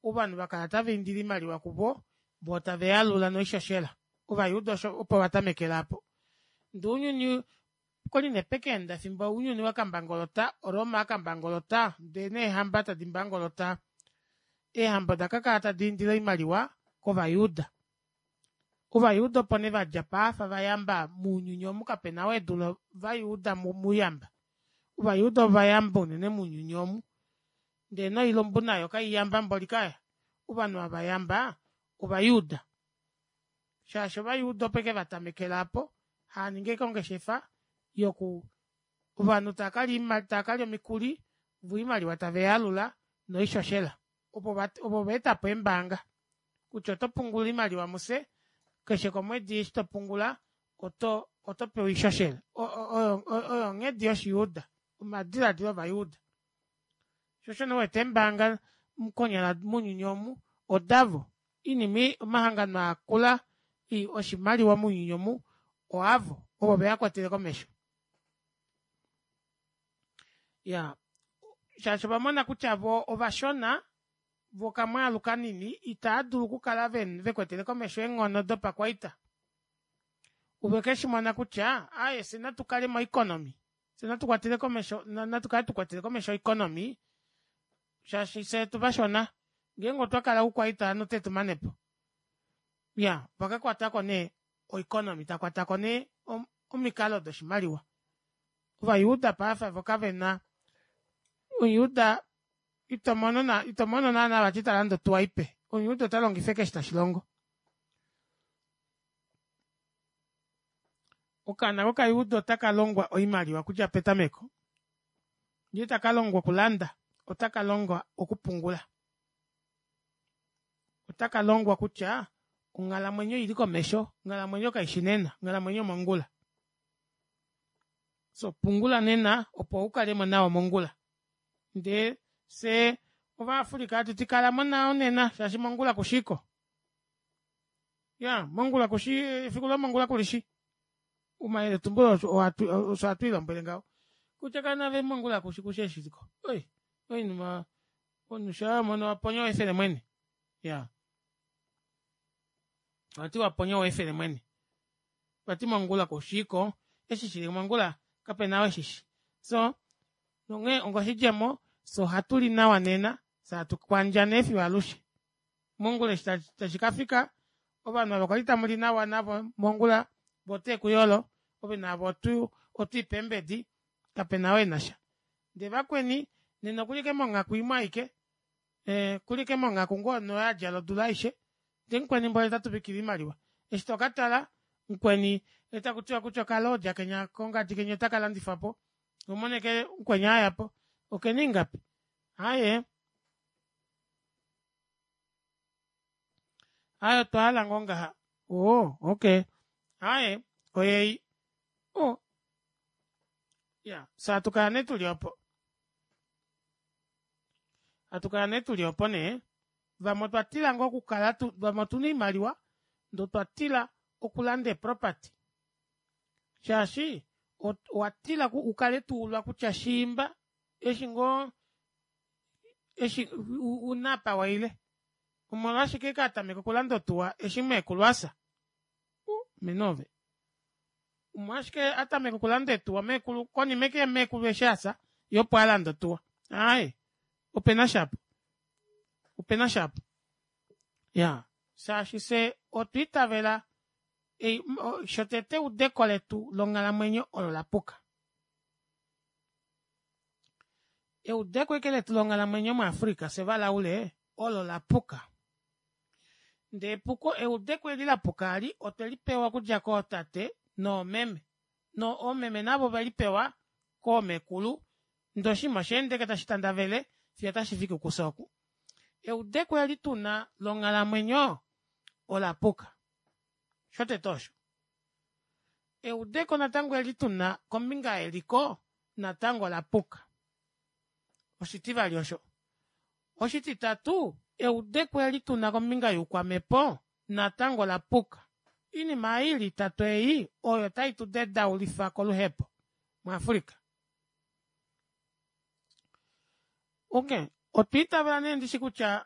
ovanhu vakala tavaindile oimaliwa kuvo voo taveyalula noishoshela ovayuuda opo vatamekela aapo ndee ounyuni okwali nee pekaenda efimbo ounyuni wakambangolota o roma yakambangolota ndee neehamba tadi mbangolota eehamba odakakala tadiindile oimaliwa kovayuuda ovayuuda opo nee vadjapo aafa vayamba mounyuni omu kapena ou edule ovayuuda mouyamba ovayuuda ovayamba unene mounyuni omu ndee noilumbu nayo kaiyamba mboli kaya ovanhu ava vayamba ovayuuda shaashi ovayuuda opo ashike vatamekela aapo haaningi ashike ongeshefa yoku ovanhu taakalya omikuli voo oimaliwa taveyaalula noishoshela ovo vaetapo eembaanga kutya otopungula oimaliwa mufye keshe komwedi eshi topungula oto otopewa oishoshela oyo onghedi yoshiyuuda omadilaadilo ovayuuda shoo osho nee uwete eembaanga konyala mounyuni omu odavo oinima omahangano aakula oshimaliwa mounyuni omu oavo ovo veakwatele komesho. Iyaa shaashi ovamona kutya voo ovashona voo okamwaalu kanini itaadulu okukala vekwetele komesho eenghono dopakwaita ovekeshimona kutya aaye fyee natukale mo economy fyee natukwatele komesho natukale tukwetele komesho o economy shaashi fyee otuvashona ngeenge otwakala oukwaita ovanhu otetumanepo. Iyaa ovakakwatako nee o economy takwatako nee omikalo doshimaliwa. Ovayuuda paife voo kavena omuyuuda itomono itomono naana vati talande otuwa ipe omuyuuda otalongifa ashike eshi tashilongo. Okaana kokayuuda otaka longwa oimaliwa okudja petameko. Ndee taka longwa okulanda, otaka longwa okupungula. Otaka longwa kutya onghalamwenyo oili komesho, onghalamwenyo kaishi nena, onghalamwenyo omongula. So pungula nena opo ukalemo nawa mongula. Ndee fyee ova Africa hatuti kalamo nawa nena shaashi mongula kushiko. Iyaa mongula kushi efiku lomongula kulishi. Omayeletumbulo osho hatwiilombwele ngaho kutya kala naave mongula kushi kushi eshi shiliko oi oinima omunhu shaa wamono waponya oweefele mwene iyaa ohati waponya oweefele mwene vati mongula kushiko eshi shili mongula kapena ou eshishi soo nonghee onga oshidjemo fyee ohatuli nawa nena fyee hatu kwandja nee fiyo alushe mongula eshi tashikafika ovanhu ava kwali tamuli nawa navo mongula voo oteekuyolo ove naave otwiipe eembedi kapena ou enasha ndee vakweni nena okuli ashike monghaku imwe aike ee okuli ashike monghaku ngoo oyo adjala odula aishe ndee mukweni mboli otatuvikile oimaliwa eshi tokatala mukweni otakutiwa kutya okalodja kenya kongadi kenya otakalandifwapo ohomono ashike mukweni ayapo okena ingapi aaye aaye otwahala ngoo ngaha oo okey aaye oyeyi oo iyaa fyee hatukala nee tuli opo hatukala nee tuli opo nee vamwe otwa tila ngoo okukala vamwe otuna oimaliwa ndee otwa tila okulanda ee property shaashi owatila ukale tuulwa kutya shiimba eshi ngoo eshi una apa waile omolwashike katameka okulanda otuwa eshi meekulu afya uu mene ove omolwashike atameka okulanda eetuwa meekulu konima ashike yameekulu eshi afya yee opo alanda otuwa aaye opena sha aapa opena sha aapa iyaa shaashi fyee otwa itavela shotete eudeko letu longhalamwenyo olo lapuka. Eudeko ashike letu longhalamwenyo mu africa fyee ovalaule olo lapuka ndee epuko eudeko eli lapuka aali otwelipewa okudja kootate noomeme noomeme navo ovelipewa koomekulu ndee oshinima oshaenda ashike tashi tandavele fiyo otashifiki kufye oku. Eudeko eli tuna longhalamwenyo olapuka shotete osho eudeko natango eli tuna kombinga yeliko natango olapuka oshitivali osho oshititatu eudeko eli tuna kombinga youkwamepo natango olapuka oinima ei ili itatu ei oyo tai tudedaulifa koluhepo mu africa. Okey otwa itavela nee ndishi kutya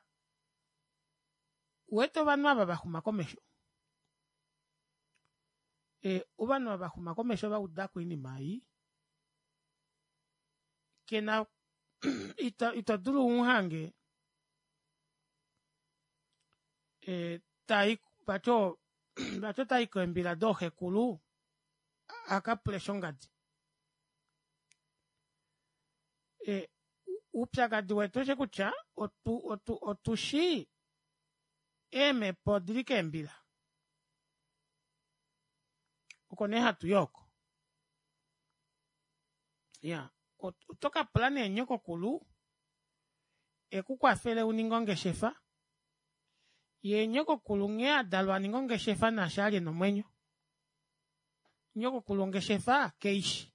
ouwete ovanhu ava vaxuma komesho ee ovanhu ava vaxuma komesho vaudako oinima ei kena ito dulu umuhange tai vati vati otayi keembila dooxekulu akapule shongadi oupyakadi wetu oshosho kutya otu otushi eemepo odili keembila oko nee hatuyi ooko iyaa otokapula nee nyokokulu ekukwafele uninge ongeshefa yee nyokokulu nghee adalwa aninga ongeshefa naashi ali ena omwenyo nyokokulu ongeshefa keishi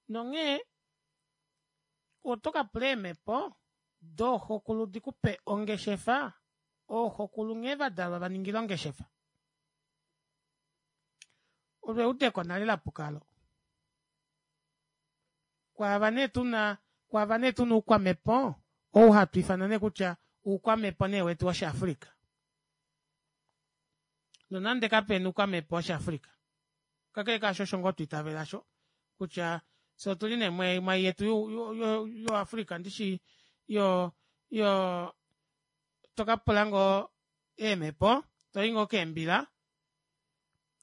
nonghee otokapula eemepo dooxokulu dikupe ongeshefa ooxokulu nghee vadalwa vaningile ongeshefa olo eudeko nale lapuka aalo kwaava nee tuna kwaava nee tuna oukwamepo ou hatwiifana nee kutya oukwamepo nee wetu woshi africa nonande kapena oukwamepo woshi africa kakele kaasho osho ngoo twaitavela aasho kutya fyee otuli nee mwaai yetu yo africa ndishi yo yo tokapula ngoo eemepo toyi ngoo keembila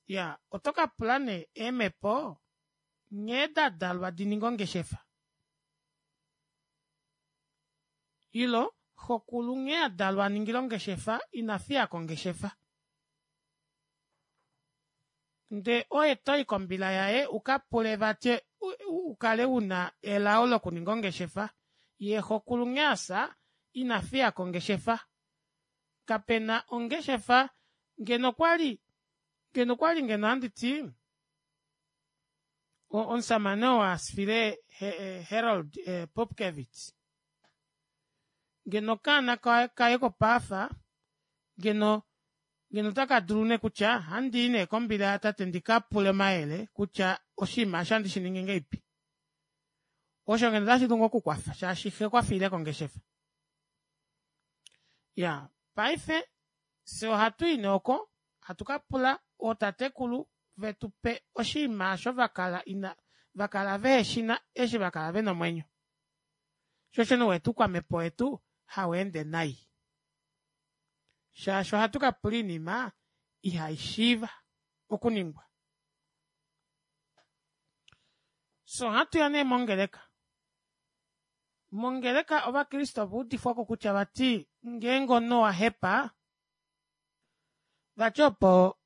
iyaa otokapula nee eemepo nghee dadalwa dininge ongeshefa ile xokulu nghee adalwa aningile ongeshefa inafiyako ongeshefa Ndee oye toyi kombila yaye ukapule vati ukale una elao lokuninga ongeshefa yee xokulu nghee afya inafiyako ongeshefa kapena ongeshefa ngeno okwali ngeno okwali ngeno ohanditi omushamane oo afile harold pupkewitz ngeno okaana kaye kopaafa ngeno ngeno otakadulu nee kutya ohandii nee kombila yatate ndikapule omayele kutya oshinima eshi ohandi shiningi ngahelipi osho ngeno ota shidulu ngoo okukwafa shaashi xee okwafiileko ongeshefa iyaa paife fyee ohatui nee oko hatu kapula ootatekulu vetupe oshinima aasho vakala ina vakala veheshina eshi vakala vena omwenyo shoo osho nee uwete oukwamhepo wetu haweende nai shaashi ohatu kapula oinima ihaishiiva okuningwa fyee ohatuya nee mongeleka mongeleka ovakriste ovaudifwako kutya vati ngeenge omunhu owahepa vati opo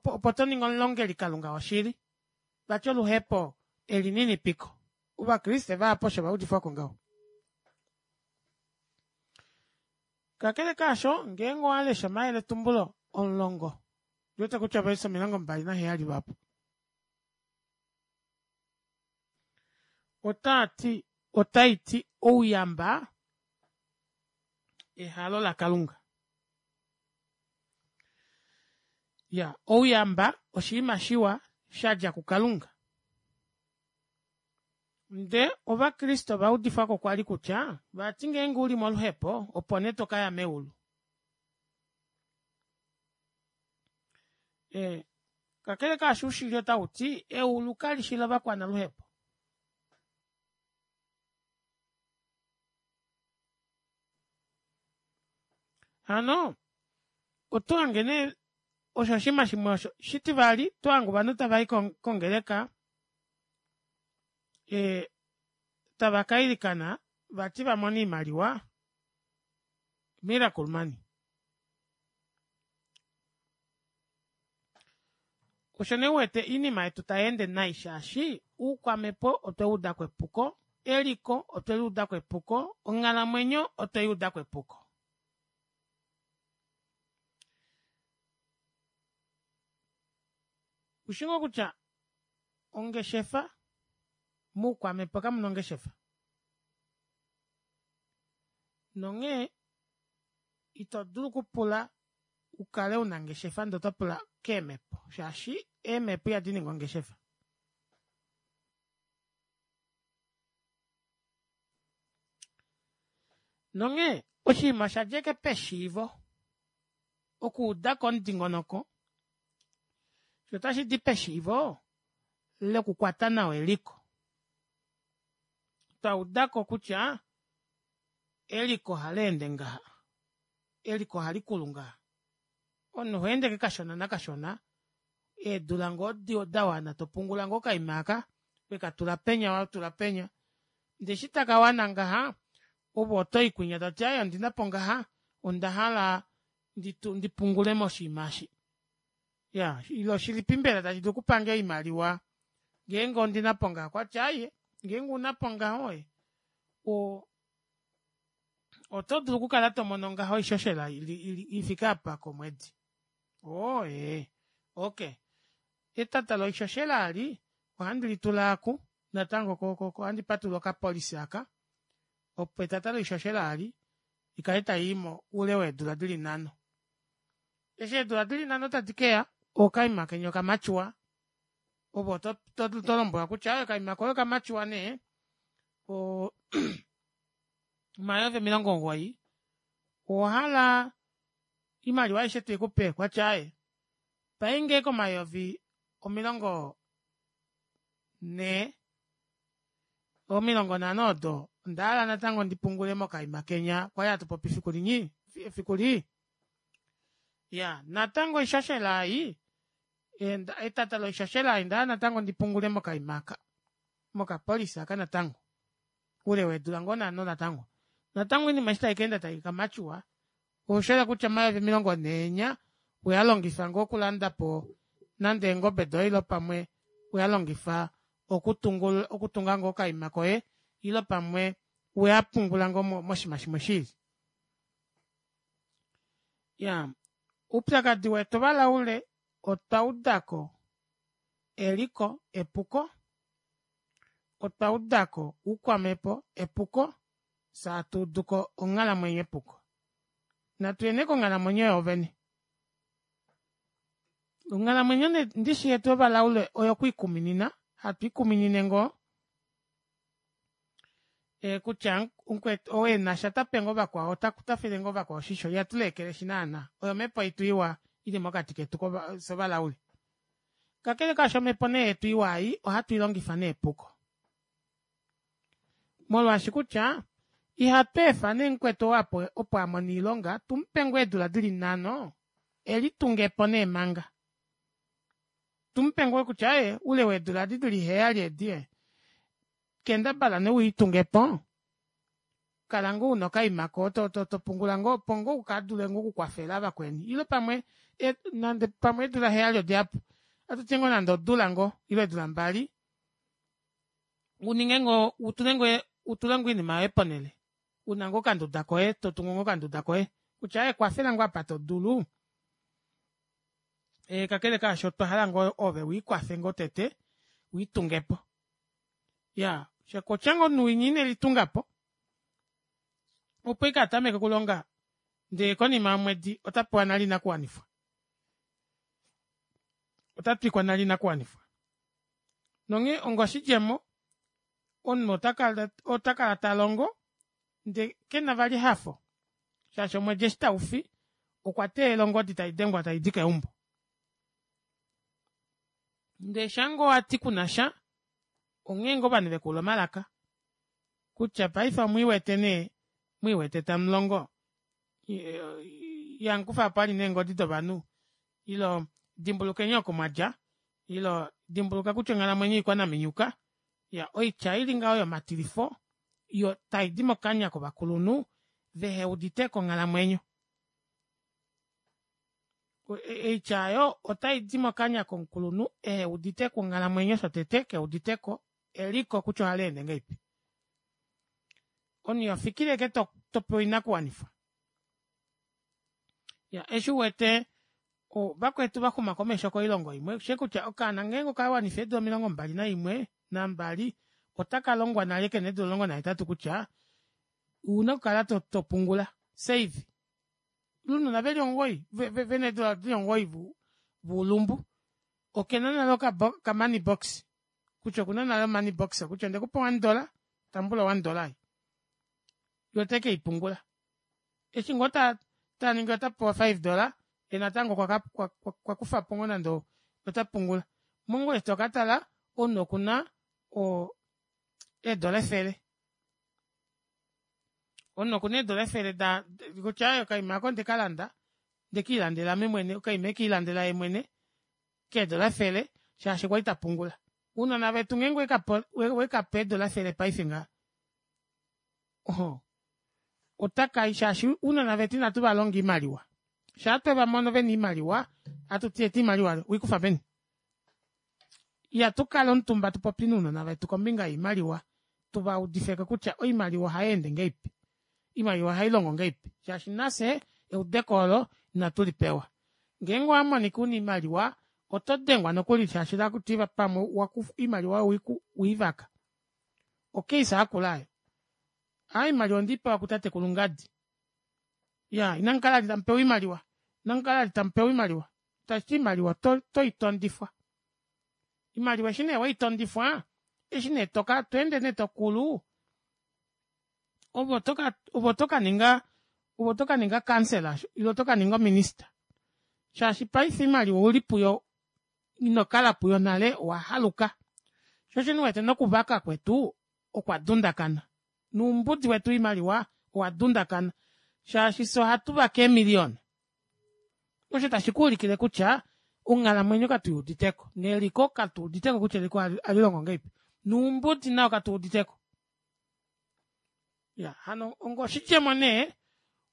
opo toningi omulongeli kalunga woshili vati oluhepo elininipiko ovakriste vahapu osho vaudifwako ngaho kakele kaasho ngeenge owalesha omayeletumbulo omulongo ondiwete kutya o verse omilongo mbali naheyali lwaapo otaati otaiti ouyamba ehalo lakalunga iyaa ouyamba oshinima shiwa shadja kukalunga ndee ovakriste ovaudifwako kwali kutya vati ngeenge uli moluhepo opo nee tokaya meulu ee kakele kaasho oushili otauti eulu kalishi lovakwanaluhepo hano otohange nee osho oshinima shimwe osho shitivali otohange ovanhu tavai kongeleka ee tava kailikana vati vamone oimaliwa miracle money osho nee uwete oinima yetu tayeende nai shaashi oukwamhepo otwewuudako epuko eliko otweluudako epuko onghalamwenyo otweyuudako epuko oushi ngoo kutya ongeshefa moukwamhepo kamuna ongeshefa nonghee ito dulu okupula ukale una ongeshefa ndee otopula keemepo shaashi eemepo ihadiningi ongeshefa nonghee oshinima oshadja ashike peshiivo okuudako omudingonoko shoo otashidi peshiivo lokukwata nawa eliko twaudako kutya eliko ohaleende ngaha eliko ohalikulu ngaha omunhu ohoende ashike kashona nakashona eedula ngoo dawana topungula ngoo okaima aaka wekatula penya watula penya ndee eshi takawana ngaha ove otoyi kwinya toti aaye ondinapo ngaha ondahala ndipungule moshinima eshi iyaa ile oshilipi mbela tashi dulu okupange oimaliwa ngeenge ondinapo ngaha okwati aaye ngeenge ounapo ngaho ee oo otodulu okukala tomono ngaho oishoshela ifike aapa komwedi oo ee okey etata loishoshela eli ohandi litula aaku natango ohandi patulula oka policy aaka opo etata loishoshela eli ikale tayiimo oule weedula dili nhano eshi eedula dili nhano tadi keya okaima kenya oka mature ove otolombwelwa kutya aaye okaima koye oka mature nee oo omayovi omilongo omugoyi owahala oimaliwa aishe tuikupe okwati aaye painge ashike omayovi omilongo nhee omilongo nhano odo ondahala natango ndipungule mokaima kenya kwali hatupopi efiku linyi efiku lii iyaa natango oishoshela ei etata loishoshela ei ondahala natango ndipungule mokaima aaka moka policy aaka natango oule weedula ngoo nhano natango natango oinima eshi taikaenda taika mature oshahala kutya omayovi omilongo nhee enya oweyalongifa ngoo okulandapo nande eengobe doye ile pamwe weyalongifa okutungula okutunga ngoo okaima koye ile pamwe weyapungula ngoo moshiima shimwe shiili. Iyaa oupyakadi wetu ovalaule otwaudako eliko epuko otwaudako oukwamepo epuko fyee hatuuduko onghalamwenyo epuko. Natuye nee konghalamwenyo yoovene onghalamwenyo nee ndishi yetu yovalaule oyo kwiikuminina hatu ikuminine ngoo kutya mukwetu ou enasha otape ngoo vakwao otafile ngoo vakwao oshisho ihatu leekeleshi naana oyo omepo yetu iwa ili mokati ketu fyee ovalaule. Kakele kaasho omepo nee yetu iwa ei ohatu ilongifa nee epuko molwaashi kutya ihatweefa nee mukwetu ou opo amono oilonga tumupe ngoo eedula dili nhano elitungepo nee manga tumupe ngoo kutya aaye oule weedula edi dili heyali edi ee kendabala nee wiitungepo kala ngoo una okaima koye topungula ngoo opo ngoo ukadule ngoo okukwafela vakweni ile pamwe nande pamwe eedula heyali odihapu ohatuti ngoo nande odula ngoo ile eedula mbali uninge ngoo utule ngoo oinima yoye ponele una ngoo okanduda koye totungu ngoo okanduda koye kutya aaye kwafela ngoo apa todulu ee kakele kaasho otwa hala ngoo ove wiikwafe ngoo tete wiitungepo iyaa kutya ngoo omunhu winya inelitungapo opo ashike atameke okulonga ndee konima yomwedi otapewa nale oinakuwanifwa otatwikwa nale oinakuwanifwa nonghee onga oshidjemo omunhu otakala talongo ndee kena vali ehafo shaashi omwedi eshi taufi okwa teelela ongodi taidengwa taidi keumbo ndee shaangoo wati kunasha onghee ngoo ovanhu vekuula omalaka kutya paife omwiiwete nee mwiiwete tamulongo ihamukufapo vali neengodi dovanhu ile dimbulukeni oko mwadja ile dimbuluka kutya onghalamwenyo oikwanaminyuka iyaa oitya ili ngaho yomatilifo taidi mokanya kovakulunhu veheuditeko onghalamwenyo oitya aayo otaidi mokanya komukulunhu eheuditeko onghalamwenyo shotete keuditeko eliko kutya ohaleende ngahelipi omunhu ihofikile ashike topewa oinakuwanifwa iyaa eshi uwete vakwetu vaxuma komesho koilongo imwe oushi kutya okaana ngeenge okawanifa eedula omilongo mbali naimwe nambali ota kalongwa nale kena eedula omulongo nahetatu kutya ouna okukala topungula save ounona veli omugoyi vena eedula dili omugoyi vuulumbu okena nale oka money box kutya okuna nale o money box kutya ondekupa o one dollar tambula o one dollar ei yee otekeipungula eshi ngoo taningi otapewa o five dollar yee natango okwakufapo ngoo nande otapungula mongula eshi tokatala omunhu okuna oo eedora efele omunhu okuna eedora efele kutya aaye okaima aako ondekalanda ondekiilandela ame mwene okaima ekiilandela yeemwene keedora efele shaashi okwali tapungula ounona vetu ngeenge owekape eedora efele paife ngaha ohoo otakayi shaashi ounona vetu ina tuvalonga oimaliwa shaa twevamono vena oimaliwa ohatuti eta oimaliwa aayo oweikufa peni ihatukala omutumba tupopye nounona vetu kombinga yoimaliwa tuvaudifeko kutya oimaliwa ohayeende ngahelipi oimaliwa ohailongo ngahelipi shaashi nafye eudeko oolo ina tulipewa ngeenge owamonika una oimaliwa oto dengwa nokuli shaashi otakutiwa pamwe oimaliwa oyo weivaka o case yakula aayo aaye oimaliwa ondeipewa kutatekulu ngadi iyaa inamukala vali tamupewa oimaliwa inamukala vali tamupewa oimaliwa tashiti oimaliwa otoitondifwa oimaliwa eshi nee weitondifwa eshi nee tweende nee tokulu ove otokaninga ove otokaninga councillor ile otokaninga ominister shaashi paife oimaliwa ouli puyo inokala puyo nale owahaluka shoo osho nee uwete nokuvaka kwetu okwa dundakana noumbudi wetu woimaliwa owa dundakana shaashi fyee ohatuvake eemilion osho tashi kuulikile kutya onghalamwenyo katuyiuditeko neliko katuuditeko kutya eliko ohalilongo ngahelipi noumbudi nao katuwuditeko iyaa hano onga oshidjemo nee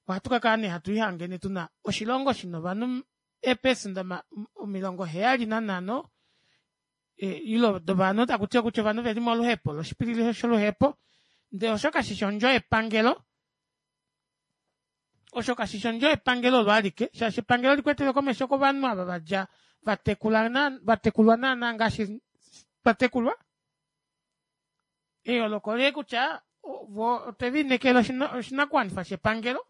ohatu kakala nee hatu lihange tuna oshilongo shina ovanhu Eepesenda omilongo heyali nanhano ile dovanhu takutiwa kutya ovanhu veli moluhepo loshipilili sholuhepo ndee osho kashishi ondjo yepangelo osho kashishi ondjo yepangelo olo alike shaashi epangelo olikwetele komesho kovanhu ava vadja vatekula vatekulwa naana ngaashi twatekulwa eyooloko oleli kutya voo otwelineekela oshinakuwanifwa shepangelo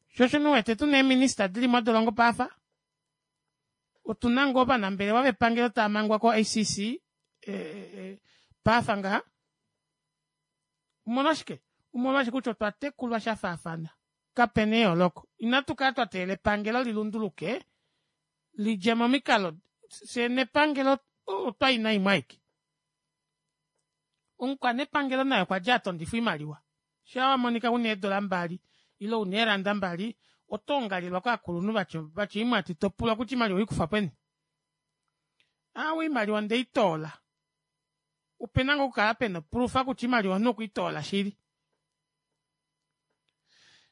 shoo osho nee uwete tuna eeminister dili modolongo paife otuna ngoo ovanambelewa vepangelo taamangwa ko I C C paife ngaha omolwashike omolwaashi kutya otwa tekulwa shafaafana kapena eyooloko inatu kala twateelela epangelo lilunduluke lidje momikalo fyee nepangelo otwayi naimwe aike omukwanepangelo naye okwadja atondifwa oimaliwa shaa wamonika una eedora mbali ile una eeranda mbali otoongalelwa kovakulunhu vatya oimwati topulwa kutya oimaliwa oweikufa peni aawe oimaliwa ondeitoola opena ngoo okukala pena oproofa kutya oimaliwa omunhu okweitoola shili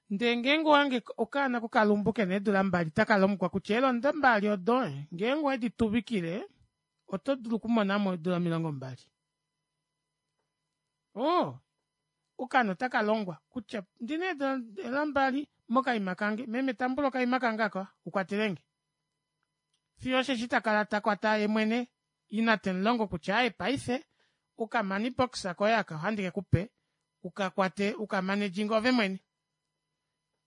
ndee ngeenge owahange okaana kokalumbu kena eedula mbali takalongwa kutya eelanda mbali odo ngeenge owedi tuvikile oto dulu okumonamo eedula omilongo mbali oo okaana otakalongwa kutya ondina eedora mbali mokaima kange meme tambula okaima kange aka ukwatelenge fiyo osheshi takala takwata yeemwene ina temulongo kutya aaye paife oka money box koye aka ohandi kekupe ukakwate ukamanejinge ove mwene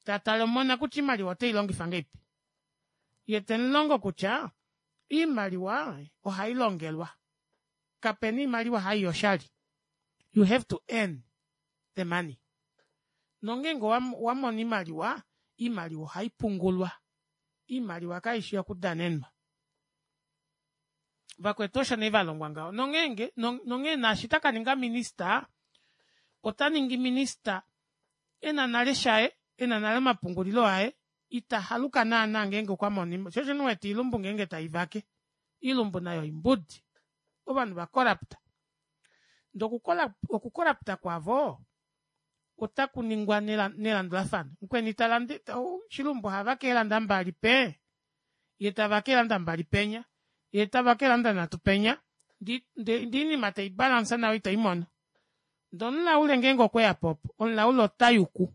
tatale omona kutya oimaliwa oteilongifa ngahelipi yee temulongo kutya oimaliwa ohailongelwa kapena oimaliwa haiya oshali you have to earn the money nongeenge owamono oimaliwa oimaliwa ohaipungulwa oimaliwa kaishi yokudanenwa vakwetu osho nee valongwa ngaho nongeenge nonghee naashi takaninga minister otaningi minister ena nale shaye ena nale omapungulilo aye ita haluka naana ngeenge okwamono shoo osho nee uwete oilumbu ngeenge taivake oilumbu nayo oimbudi ovanhu va corrupt ndee oku corrupt kwavo ota kuningwa nelandulafano mukweni talande shilumbu ohavake eelanda mbali pee yee tavake eelanda mbali penya yee tavake eelanda nhatu penya ndee oinima teibalance nawa itoimono ndee omulaule ngeenge okweyapo opo omulaule otayuku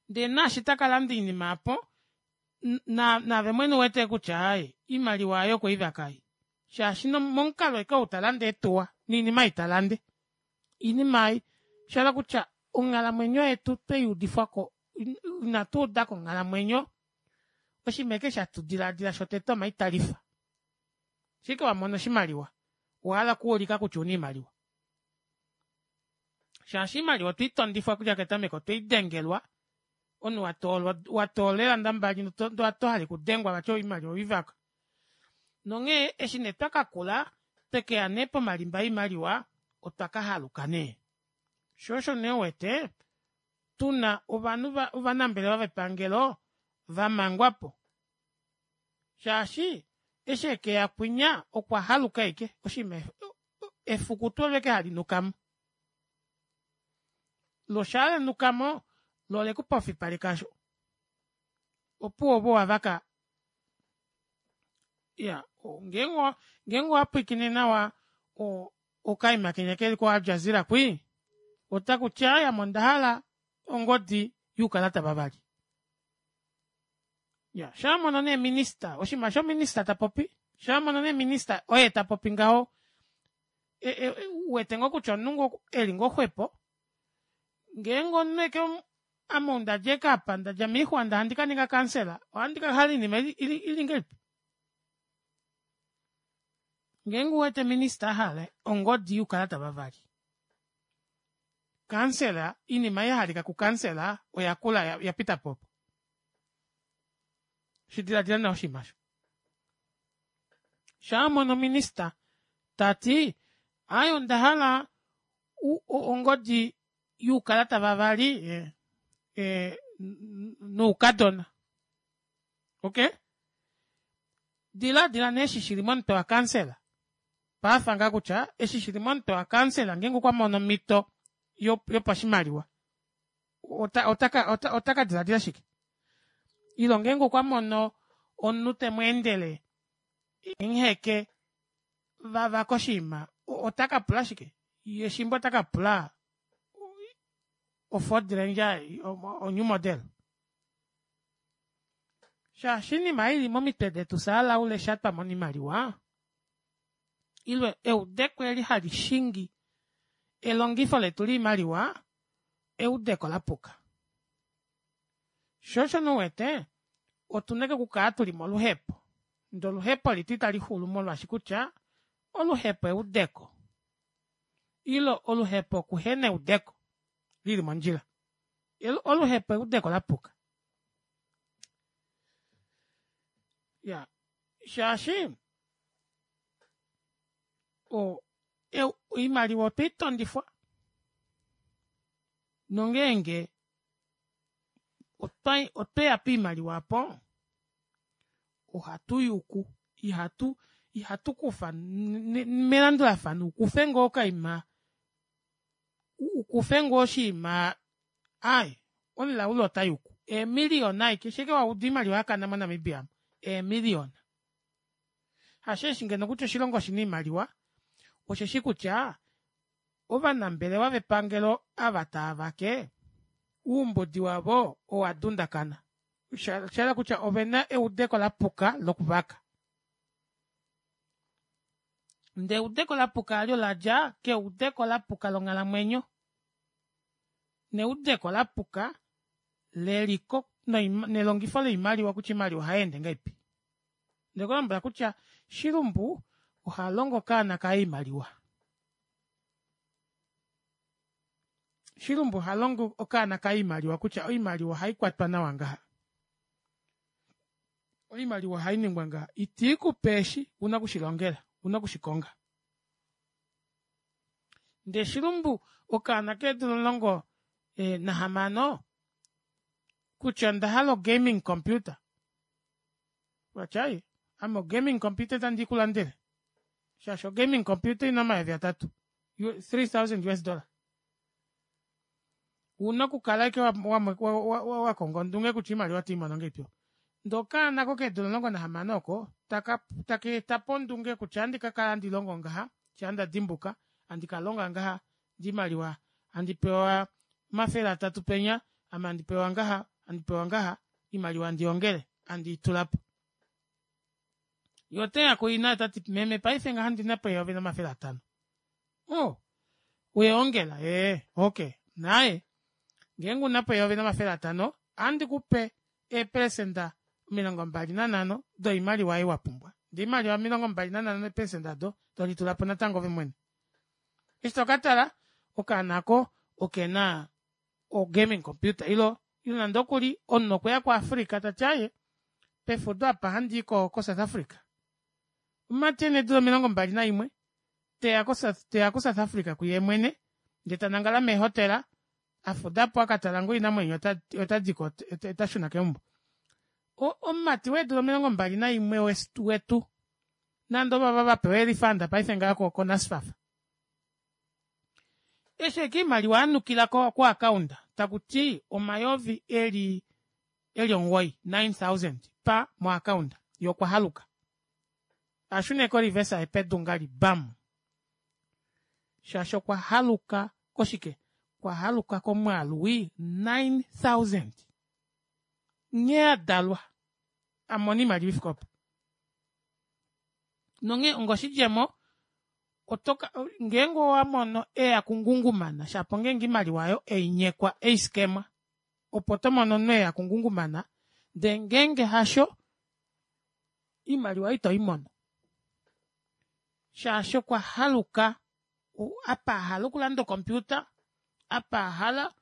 ndee naashi takalanda oinima aapo naave mwene ouwete kutya aaye oimaliwa aayo okweivaka ei shaashi momukalo ashike ou talande eetuwa noinima ei talande oinima ei oshahala kutya onghalamwenyo yetu tweyuudifwako inatuudako onghalamwenyo oshinima ashike eshi hatu dilaadila shotete omaitalifa shaike wamono oshimaliwa owahala okuulika kutya ouna oimaliwa shaashi oimaliwa otweitondifwa okudja ketameko otweidengelwa omunhu watoolwa watoola eelanda mbali ndee otohale okudengwa vati oimaliwa oweivaka nonghee eshi nee twakakula twekeya nee pomalimba oimaliwa otwa kahaluka nee shoo osho nee uwete tuna ovanhu ovanambelewa vepangelo vamangwapo shaashi eshi ekeya kwinya okwahaluka ashike oshinima efukuto olo ashike halinukamo loo shaa lanukamo loo olekupofipaleka aasho opuwo ove owavaka iyaa ngeenge owapwiikine nawa okaima kenya keli ko aljazeera kwii otakuti aaye ame ondahala ongodi youkalata vavali iyaa shaawamono nee minister oshinima osho minister tapopi shaawamono nee minister oye tapopi ngaho uwete ngoo kutya omunhu eli ngoo xwepo ngeenge omunhu ashike ame ou ndadja ashike aapa ndadja moixwa ndee handi kaninga kansela ohandi kahala oinima ili ngahelipi ngeenge ouwete minister ahala ongodi youkalata vavali kansela oinima ei yahalika ku kansela oyakula oyapitapo opo shidilaadila nawa oshinima aasho shaawamono minister tati aaye ondahala ongodi youkalata vavali ee noukadona okey dilaadila nee eshi shili momutwe wa kansela paife ngaha kutya eshi shili momutwe wa kansela ngeenge okwamono omito yopashimaliwa ota ota ota kadilaadila shike Ile ngeenge okwa mono omunhu temweendele emuheke vavaka oshiima otakapula shike yee shimba otakapula o ford ranger o new model shaashi oinima ei ili momitwe detu fyee valaula eshi twamona oimaliwa ile eudeko eli halishingi elongifo letu loimaliwa eudeko lapuka shoo osho nee uwete otuna ashike okukala tuli moluhepo ndee oluhepo letu italixulu molwaashi kutya oluhepo eudeko ile oluhepo okuhena eudeko lili mondjila oluhepo eudeko lapuka iyaa shaashi o- oimaliwa otweitondifwa nongeenge otweya poimaliwa aapo ohatuyuku ihatu ihatukufa melandulafano ukufe ngoo okaima ukufe ngoo oshiima aaye omulaule otayuku eemilion ashike eshi ashike wauda oimaliwa yakana mo namibia aamu eemilion hasheeshi ngeno kutya oshilongo oshina oimaliwa osheshi kutya ovanambelewa vepangelo ava taavake oumbudi wavo owa dundakana oshahala kutya ovena eudeko lapuka lokuvaka ndee eudeko lapuka aali oladja keudeko lapuka longhalamwenyo neudeko lapuka leliko nelongifo loimaliwa kutya oimaliwa ohayeende ngahelipi ondekulombwela kutya shilumbu ohalongo okaana kaye oimaliwa shilumbu ohalongo okaana kaye oimaliwa kutya oimaliwa ohaikwatwa nawa ngaha oimaliwa ohainingwa ngaha itiikupe eshi ouna okushilongela ouna okushikonga ndee shilumbu okaana keedula omulongo nahamano kutya ondahala o gaming computer vati aaye ame o gaming computer ita ndiikulandele shaashi o gaming computer oina omayovi atatu three thousand us dollar ouna okukala ashike wa wakonga ondunge kutya oimaliwa otoimono ngahelipi ndee okaana kokeedula omulongo nahamano oko taka takaetapo ondunge kutya ohandi kakala handi longo ngaha shaa ndadimbuka handi kalonga ngaha ndee oimaliwa handi pewa omafele atatu penya ame handi pewa ngaha handi pewa ngaha oimaliwa handiongele handiitulapo yee oteya kuina otati meme paife ngaha ondinapo eyovi nomafele atano oo weyaongela ee okey naaye ngeenge unapo eyovi nomafele atano ohandikupe eeprecenter omilongo mbali nanhano doimaliwa ei wapumbwa ndee oimaliwa omilongo mbali nanhano eeprecenter aado tolitulapo natango ove mwene eshi tokatala okaana aako okena o gaming computer ile nande okuli omunhu okweya ku africa tati aaye pefudo aapa ohandii ko south africa omumati ena eedula omilongo mbali naimwe teya ko south africa kuyeemwene ndee tanangala meehotela afudapo akatala ngoo oinamwenyo otadiko otashuna keumbo omumati weedula omilongo mbali naimwe wetu nande ovava vapewa ee refund paife ngaha ko nasfaf eshi ashike oimaliwa yanukila ko account takuti omayovi eli eli omugoyi nine thousand paa mo account yee okwahaluka ashuna ashike o reverse pedu ngahali bam shaashi okwa haluka koshike okwa komwaalu wii nine thousand nghee adalwa amona oimaliwa ifike opo nonghee onga oshidjemo otoka ngeenge owamono eya kungungumana shapo ongenge oimaliwa aayo einyekwa eiskemwa opo tomono omunhu eya kungungumana ndee ngeenge hasho oimaliwa aayo itoimono shaashi okwa haluka apa ahala okulanda o computer apa ahala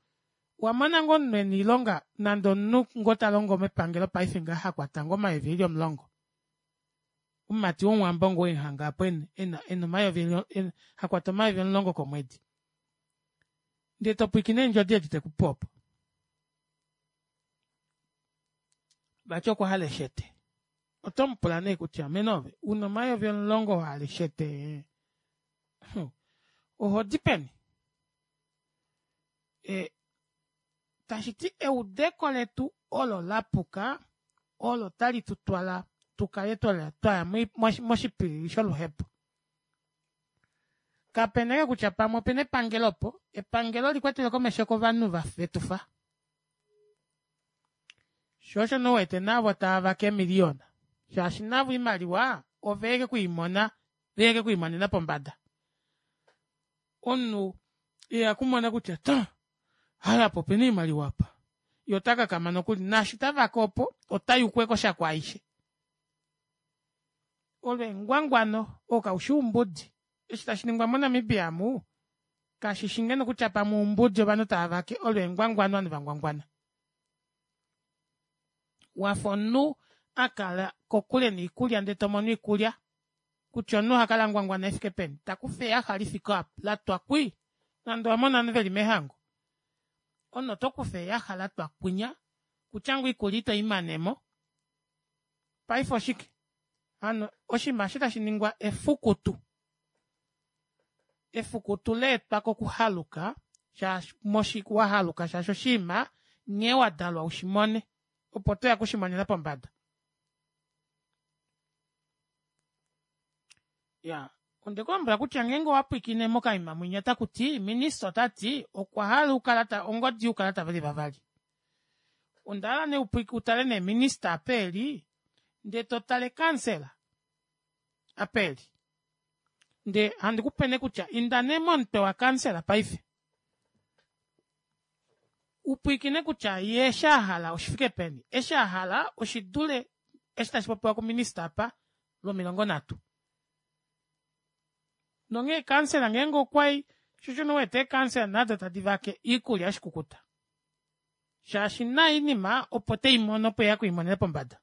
owamona ngoo omunhu ena oilonga nande omunhu ngoo talongo mepangelo paife ngaha hakwata ngoo omayovi eli omulongo omumati womuwambo ngoo emuhanga aapo ena ena omayovi hakwata omayovi omulongo komwedi ndee topwiikine eendjodi edi tekupe opo vati okwahala eshete otomupula nee kutya mene ove una omayovi omulongo wahala eshete ohodi peni ee tashiti eudeko letu olo lapuka Olo tali tutwala tukale twaya moshipilili sholuhepo. Kapena kutya pamwe opena epangelo opo, epangelo likwatele komesho kovanhu vetufa. Sho osho nee uwete navo tavake eemiliyona shaashi navo oimaliwa oveke kwiimona veke kwiimonena pombada. Omunhu ihakumona kutya ta aaye apa opena oimaliwa aapa yee otakakama nokuli naashi tavake opo otayuku ashike oshako aishe. Olo engwangwano oo kaufi oumbudi eshi tashiningwa mo namibia omu kashishi ngeno kutya pamwe oumbudi ovanhu taavake olo engwangwano ovanhu vangwangwana. Wafa omunhu akala kokule noikulya ndee tomono oikulya kutya omunhu ohakala angwangwana shifike peni takufa eyaxa lifike aapa latwa kwii nande owamona ovanhu veli meehango omunhu otokufa eyaxa latwa kwinya okutya ngoo oikulya itoimanemo paife oshike hano oshinima eshi tashiningwa efukutu efukutu leetwa kokuhaluka shaashi wahaluka shaashi oshiima nghee wadalwa ushimone opo toya okushimonena pombada. Iyaa ondekulombwela kutya ngeenge owapwiikine mokaima mwinya otakuti minister otati okwahala oukalata ongodi youkalata veli vavali. Ondahala nee utale nee minister apa eli ndee totale kansela apa eli ndee handikupe nee kutya inda nee momutwe wa kansela paife upwiikine kutya yee eshi ahala oshifike peni eshi ahala oshidule eshi tashipopiwa ku minister aapa lwomilongo nhatu. Nonghee kansela ngeenge okwayi shoo osho nee uwete eekansela nado tadi vake oikulya yoshikukuta shaashi naye oinima opo teimono opo eya okwiimonena pombada.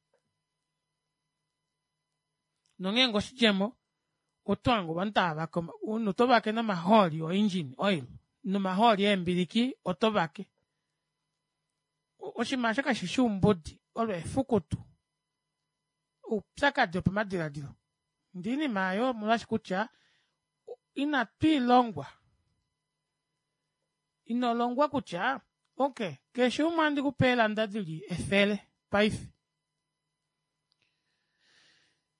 Nongeenge oshidjemo otohange ovanhu taavake omunhu otovake nomahooli o engine oil nomahooli eembiliki otovake. Oshinima aasho kashifi oumbudi olo efukutu oupyakadi wopamadilaadilo ndee oinima aayo omolwaashi kutya ina twiilongwa inolongwa kutya okey keshe umwe ohandikupe eelanda dili efele paife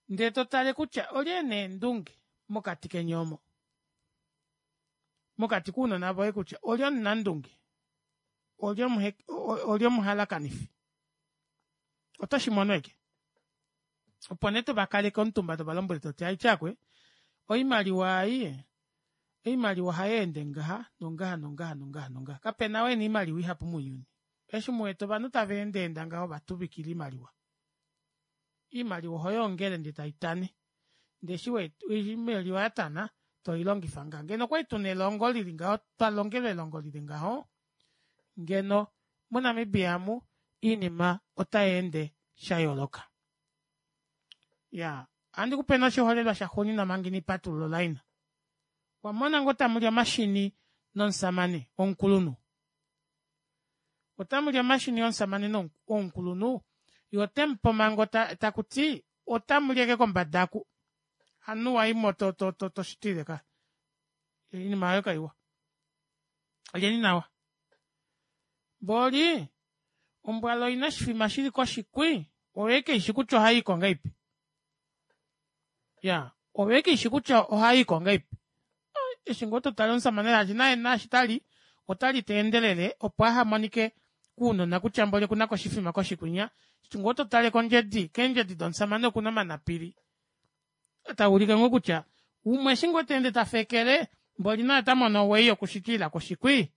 ndee totale kutya olye ena eendunge mokati keni omo mokati kounona voye kutya olye omunandunge olye olye omuhalakanifi otoshimono ashike opo nee tovakaleke omutumba tovalombwele toti haitye aakwee oimaliwa ei oimaliwa ohayeende ngaha nongaha nongaha nongaha nongaha kapena ou ena oimaliwa ihapu mounyuni eshi muwete ovanhu tava endaenda ngaho ovatuvikila oimaliwa oimaliwa ohoyoongele ndee taitane ndee eshi oimaliwa yatana toilongifa ngaha ngeno okwali tuna elongo lili ngaho twalongelwe elongo lili ngaho ngeno mo namibia omu oinima otayeende shayooloka. Iyaa ohandikupe nee oshiholelwa shaxuuninwa omanga ina ndipatulula o line. Owamona ngoo tamuli omashini nomushamane womukulunhu otamuli omashini nomushamane womukulunhu yee otemupe omhango takuti otamuli ashike kombada oku hamunhu waimo to- to- to toshitilile kaya oinima aayo kaiwa lyeni nawa mboli ombwala oina oshifima shili koshi kwii oyo ashike ishi kutya ohayiiko ngahelipi iyaa oyo ashike ishi kutya ohayiiko ngahelipi eshi ngoo totale omushamane shaashi naye naashi tali otali teendelele opo ahamonike kounona kutya mboli okunako oshifima koshi kwinya eshi ngoo totale kondjedi keendjedi domushamane okuna omanapili taulike ngoo kutya umwe eshi ngoo teende tafekele mboli naye otamono oway yokushitilila koshi kwii.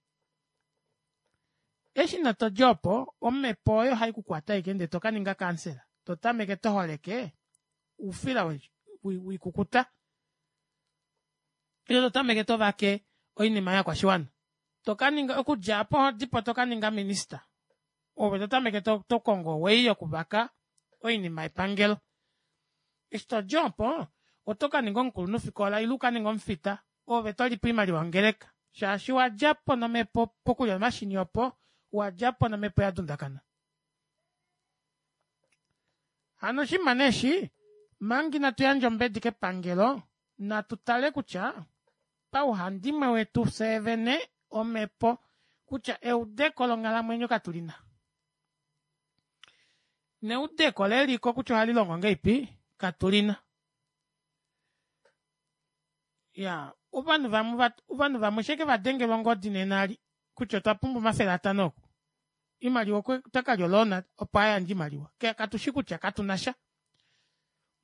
Eshi nee todi opo omepo oyo ohaikukwata ashike ndee tokaninga kansela totameke toholeke oufila woikukuta ile totameke tovake oinima yovakwashiwana tokaninga okudja aapo ohodipo tokaninga minister ove totameke tokongo o way yokuvaka oinima yepangelo. Eshi todi opo otokaninga omukulunhufikola ile ukaninge omufita ove tolipo oimaliwa yongeleka shaashi owadjapo nomepo pokulya omashini opo owadjapo nomepo yadundakana. Hano oshinima nee eshi omanga inatu yandja ombedi kepangelo natu tale kutya pauhandimwe wetu fyee vene omepo kutya eudeko longhalamwenyo katulina. Neudeko leliko kutya ohali longo ngeipi katulina. Ya ovanhu vamwe ovanhu vamwe sheke vadengelwa ongodi nena ali kutya otwa pumbwa omafele atano oku. Imaliwa otakalya oloona opo ayandje imaliwa. Katushi kutya katunasha.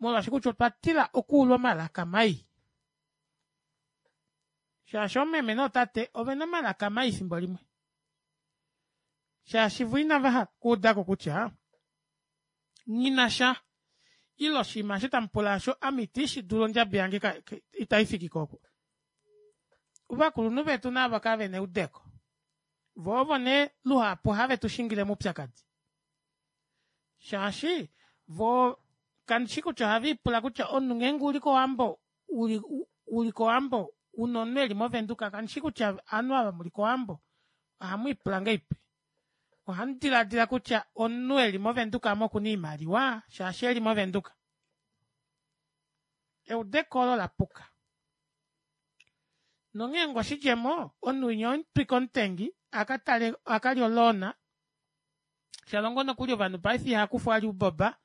Molwaashi kutya otwa tila okuulwa omalaka mai. Shaashi oomeme nootate ovena omalaka mai efimbo limwe. Shaashi vo inava kuudako kutya nghinasha ile oshinima osho tamupula osho ame itishi dulu ondjabi yange itaifiki ko. Ovakulunhu vetu navo kavena eudeko. Vo ovo nee luhapu have tu shingile moupyakadi. Shaashi vo kandishi kutya ohava ipula kutya omunhu ngeenge uli kOwambo uli uli kOwambo una omunhu eli moVenduka kandishi kutya ovanhu ava muli kOwambo ohamu ipula ngeipi. Ohamu diladila kutya omunhu eli moVenduka amo okuna oimaliwa shaashi eli moVenduka. Eudeko olo lapuka. Nongeenge oshidjemo omunhu winya omutwika omutengi akatale akalya oloona shalongo nokuli ovanhu paife ihakufwa ali ouboba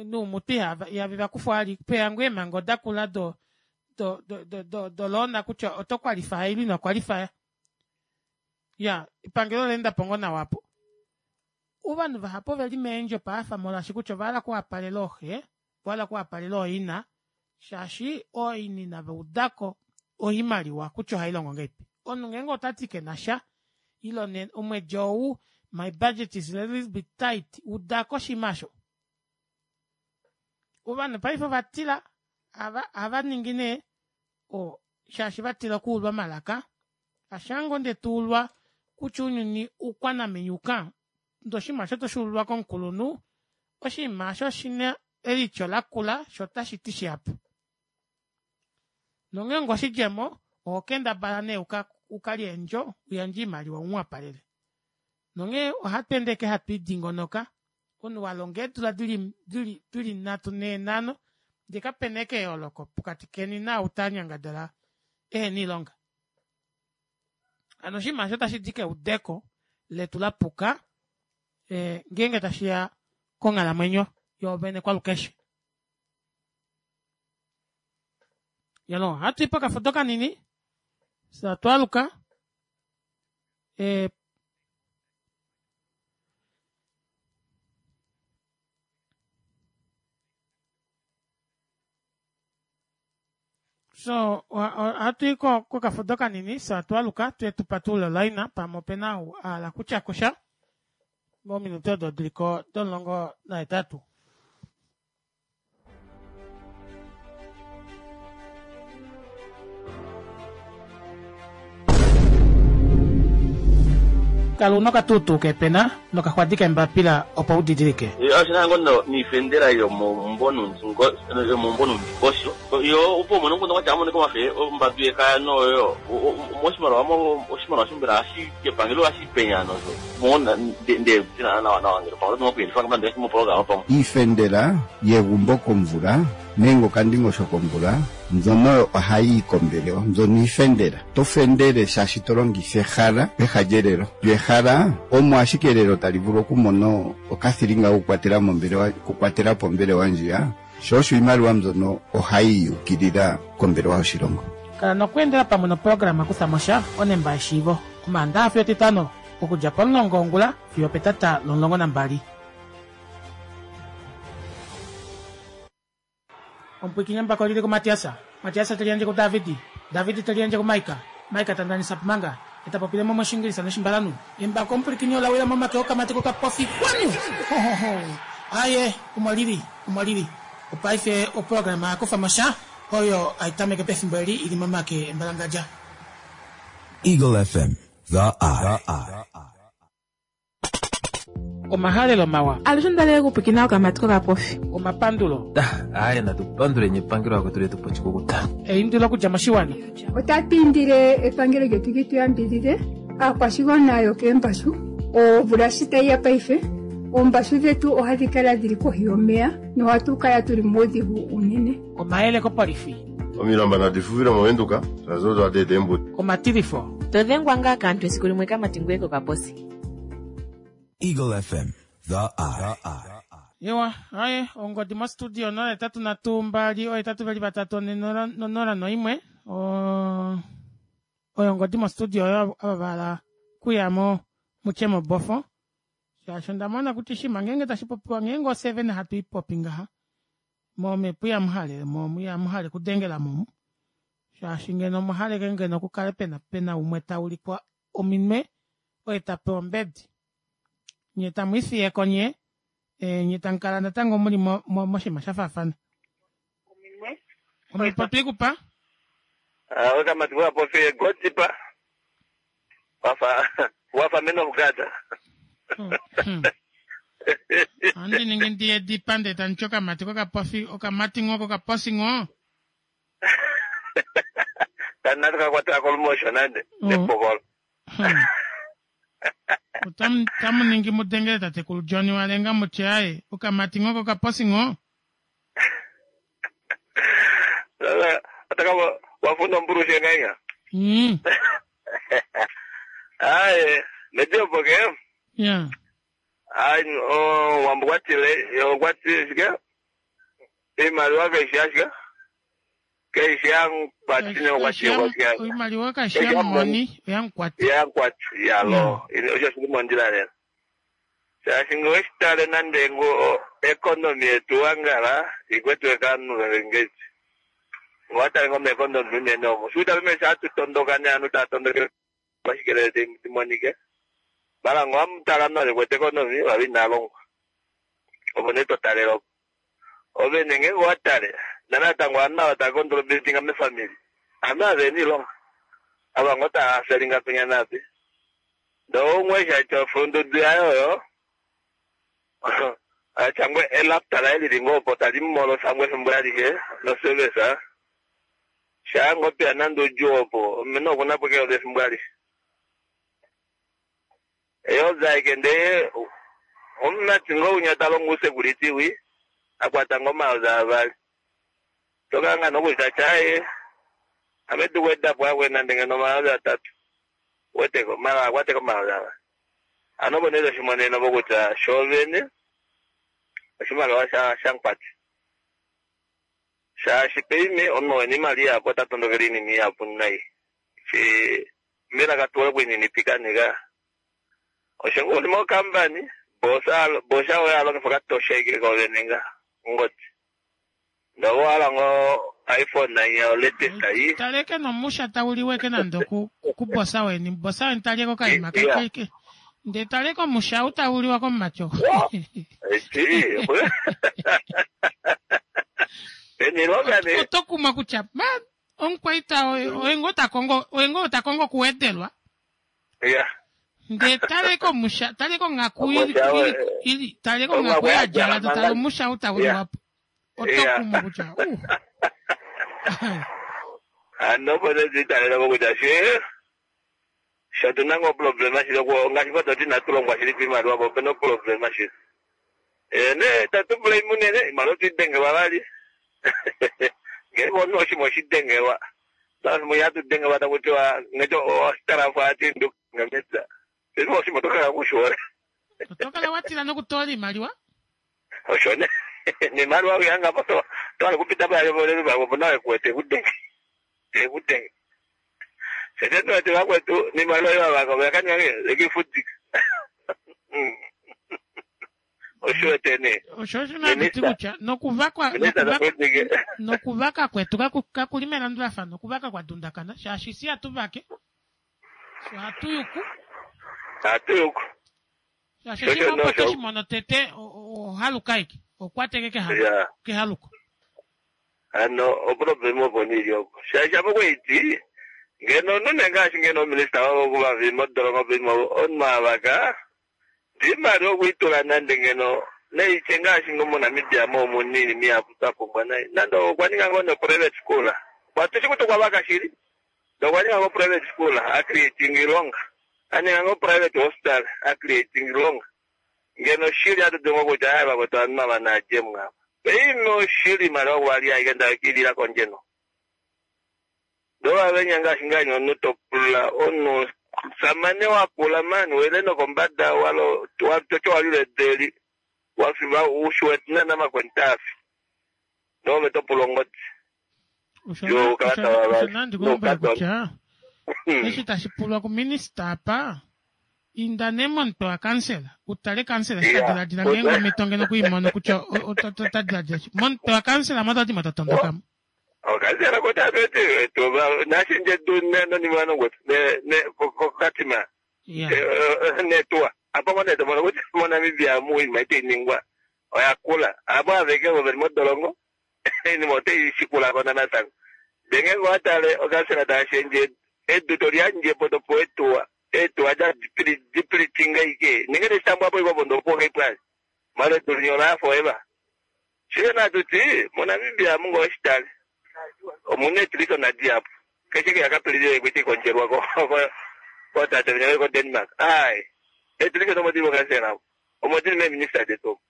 noumuti ihave vakufwa ali peya ngoo eemhango dakula do do do do doloona kutya oto qualify ile ino qualify. Ya epangelo olaendapo ngoo nawa apo. Ovanhu vahapu oveli meendjo paife molwaashi kutya ovahala okuwapalela ooxe, ovahala okuwapalela ooina shaashi ooina inava udako oimaliwa kutya ohailongo ngeipi. Omunhu ngeenge otati kenasha ile omwedi ou my budget is a little bit tight udako oshinima osho. Ovanhu paife ovatila ohava ningi nee shaashi vatila okuulwa omalaka. Ashango nde tuulwa kutya ounyuni oukwanamenyuka ndee oshinima osho toshuululwa komukulunhu oshinima osho oshina elityo lakula shoo otashiti shihapu. Nongeenge oshidjemo oho kendabala nee ukalye eendjo uyandje oimaliwa umuwapalele. Nonghee ohatu ende ashike hatu idingonoka omunhu walonga eedula dili dili dili nhatu nhee nhano ndee kapena ashike eyooloko pokati keni naau tanyangadala ehena oilonga. Hano oshinima aasho otashidi keudeko letu lapuka ngeenge tashiya konghalamwenyo yoovene kwalukeshe. Yalo ohatui pokafudo kanini fyee twaaluka so ohatui kokafudo kanini fyee twaaluka tuye tupatulule olaina pamwe opena ou ahala okutyakosha mominute odo diliko domulongo nahetatu. Kala una okatuutuu keepena nokaxwadi keembapila opo udidilike.
Oshina ngo niifendela yomomumvo nondingosho yo opo umone omukundu kwatya amonike omafe ombadu yekaya noyo moshimaliwa oshimaliwa mbela epangelo ohashi penya nosho nde nawa nawa ngele pamwe oto okuyelifa moprograma pamwe.
Iifendela yegumbo komvula nenge okandingosho komvula mbyono ohayi yi kombelewa mbyono iifendela. To fendele shaashi to longitha ehala peha lyelelo. Lyo ehala omo ashike elelo tali vulu okumona okathilinga kokukwatela mombelewa okukwatela po ombelewa ndjiya sho osho iimaliwa mbyono ohayi yukilila kombelewa yoshilongo.
Kala nokweendela pamwe noprograma Kuthamosha onemba yeshiivo Omaandaxa fiyo Etitano okudja pomulongo wongula fiyo opetata lomulongo nambali. Omupwikinye mbako lili kuMatias, Matias te liyandje kuDavid, David te liyandje kuMaika, Maika ta ndanisa pumanga, e ta popile mo mOshingilisa nOshimbalanhu. Embako omupwilikini ola wila momake okamati kokapofi kwanu! Hohoho! Aaye, omo lili, omo lili. Opaife oprograma ya kufa mo sha oyo hai tameke pefimbo eli i li momake embalangadja.
Eagle F M, The Eye.
Omahalelo mawa.
Alushe onda li okupwikina okamati kokapofi.
Omapandulo.
Aaye natu panduleni epangelo lakwetu letu po oshikukuta.
Eindilo okudja moshiwana.
Otatu indile epangelo lyetu li tu yambidhidhe aakwashigwana yokeembashu. Omvula shi tayi ya paife oombashu dhetu ohadhi kala dhili kohi yomeya nohatu kala tuli muudhigu unene.
Omayele kopolifi.
Omilamba nadi fuvile moVenduka shaashi odo hadi eta eembuto.
Omatilifo.
To dhengwa ngaa kaantu esiku limwe kamati ngoye kokaposi.
Eagle F M, The Eye.
Ewa, aye, ongodi mostudio nola etatu nhatu mbali ohetatu veli vatatu one nola nola noimwe. O oyo ongodi mostudio oyo ava vahala kuyamo mutye mobofo. Shaashi onda mona kutya shima ngeenge tashi popiwa ngeenge oseven hatu i popi ngaha momhepo ihamu mo ihamu hale kudengela momu. Shaashi ngeno omuhaleke ngeno kukale pena pena umwe taulikwa ominwe oye tapewa ombedi. Nye tamu ifiyeko nye e, nye tamu kala natango muli mo, mo, moshinima sha faafana. Omhepo twikupa?
Ah, okamati kokapofi godipa wafa wafa men of God.
Ohandi ningi ndiye dipa ndee tamuti okamati kokapofi okamati ngoo kokaposi ngoo.
Kanati kakwatela kolumosho nande nepokolo.
Otamu tamu ningi mudengele tatekulu John Walenga mutye aye okamati ngoo kokaposi ngoo.
Sasa ataka wafunda mburushe ngainya.
Mm.
Aye, mediopo ke.
Yeah.
Ai, oh, wambukwatile, yokwatile shike. Imaliwa kaisha shike. Kaisha nkwatile kwatile kwatile.
Oimaliwa kaisha moni oyankwati.
Ya nkwati ya lo. Osho shili mondjila lela. Shaashi ngoweshitale nande ngo economy yetu wangala ikwetwe kanu ngezi. Ngowatale ngome economy unene omo. Shuta bimesha atutondoka ne anu tatondokele bashikelele timonike. Bala ngwamutala nale kwete economy wabi nalongwa. Opo ne totalelo. Ove nenge ngowatale. Nanatango anu ava tava contributinga mefamily. Anu aveni ilonga. Ava ngo tava felinga penya napi. Ndo umwe shacho fundudu yayo yo. Achangwe elapta laye lili ngoo opo tali mumolosa ngwe efimbo alishe nosevesa. Shango pia nande udjuu opo omene okuna po keolo efimbo alishe. Eyozaike ndee omumati ngoo unya talongo usecurity wi akwata ngoo omayoza avali. Tokanga nokutya tyaye ame tuwedapo akwe nande ngeno omayoza atatu. Weteko mala akwateko omayoza avali. Ano opo nee toshimonene opo kutya shoovene oshimaliwa sha shankwati. Shaashi peime omunhu wena imali ihapu ota tondokele oinima ihapu nai. Shi mbela katuwe okuininipika nika. Osho ngoo uli mokampani bosa bosa oye alongifa okatosha ashike koovene nga ongodi. Ndee ove owahala ngoo iPhone ya latest ei.
Taleke nomusha tauliwe ke nande ku kubosa weni. Bosa weni talyeko okaima
Yeah.
ke. Ndee taleke omusha ou tauliwa komumati oo.
Eti. Enilonga ne.
Oto kumwa kutya ma omukwaita oye oye ngoo ta kongo oye ngoo ta kongo okuwedelwa.
Yeah.
Ndee taleke omusha taleke onghaku ili
Omusha
ili
oye-
ili taleke
onghaku
onghaku
ya
yadjala
djala
to tale
manga.
omusha ou tauliwa po. Oto
Yeah.
kumwa kutya uh.
Ano opo netitaleleko kutya she sho tuna ngoo problema shili oku ngaashi ngoo toti inatu longwa shili piimaliwa po opena oproblema shili. Eh, ne tatu blame unene iimaliwa otwiidengelwa vali. Ngeenge omunhu oshimwe oshidengelwa. Shimwe ihatu dengelwa taku tiwa ngeti ositalafu ati nduka mepya. Shimwe oshimwe otokala kushiwole.
Oto kala watila nokutoola iimaliwa.
Osho ne niimaliwa kuyanga po tohala kupita payo opo nawe kuwete ekudenge. Ekudenge. Shete tuwete vakwetu niimaliwa yovavaka oyakaninga ekifudika. Osho wete nee.
Osho osho nanditi kutya nokuvakwa
Minista
nokuvaka
takwetike.
nokuvaka kwetu kaku- kakuli melandulafano okuvaka kwa dundakana shaashi si hatu vake so hatu yuku
Hatu yuku.
shaashi
Osho
shimwe opo
nosho.
toshimono tete o- o- ohaluka aike okwateke kehaluko
Yeah.
kehaluko
Ano oproblem opo niili opo. Shaashi apo kweiti ngeno omunhu nee ngaashi ngeno ominista wavo kuvavi modolongo pimo omunhu avaka iimaliwa okwiitula nande ngeno neitye ngaashi ngo moNamibia mo omuna iinima ihapu twa pumbwa nai nande okwa ninga ngoo no-private school kwatushi kuti okwa vaka shili ndee okwa ninga ngoo private school acreating iilonga aninga ngoo private hospital acreating iilonga ngeno shili atu dulu ngoo kutya aye vakwetu ovanhu ava naadjemo apa peime oshili iimaliwa kwali aike ndakilila kondje no ndee ovavenya ngaashi ngaashi omunhu topula omunhu
Omusamane wakula mani wele nokombada walo watoto walile deli wafiva ushiwetna namakwentafi nove topula ongodi yo kalata
Osho nandi kulombwela kutya eshi tashi pulwa kuminista apa inda nee momutwe wakansela utale kansela eshi ta diladila ngeenge omhito ngeno okwiimono kutya o- o- ota diladila shi momutwe wakansela mo otati mo tatondokamo
okansela kotabeti nashinje tu nonimwanongwetu kokatima netuwa apo ngo netomono kutya moNamibia muinima itainingwa oyakula apo aveke vo veli modolongo iinima otai shikulako natango ndee ngeenge owatale okansela taashendje edu toliyandjepo topewa etuwa etuwa dipilitinga ike nenge teshitambwapo ikwapo ndopuwa kaipwali mala edu linya olafa eva shike natuti moNamibia munga oshitale omuna etiliko nadiapo keshe keyakapilile kwiti kondjelwa kotate vinya ko Denmark ai etiliko nomodili vokansela omodili meminista detu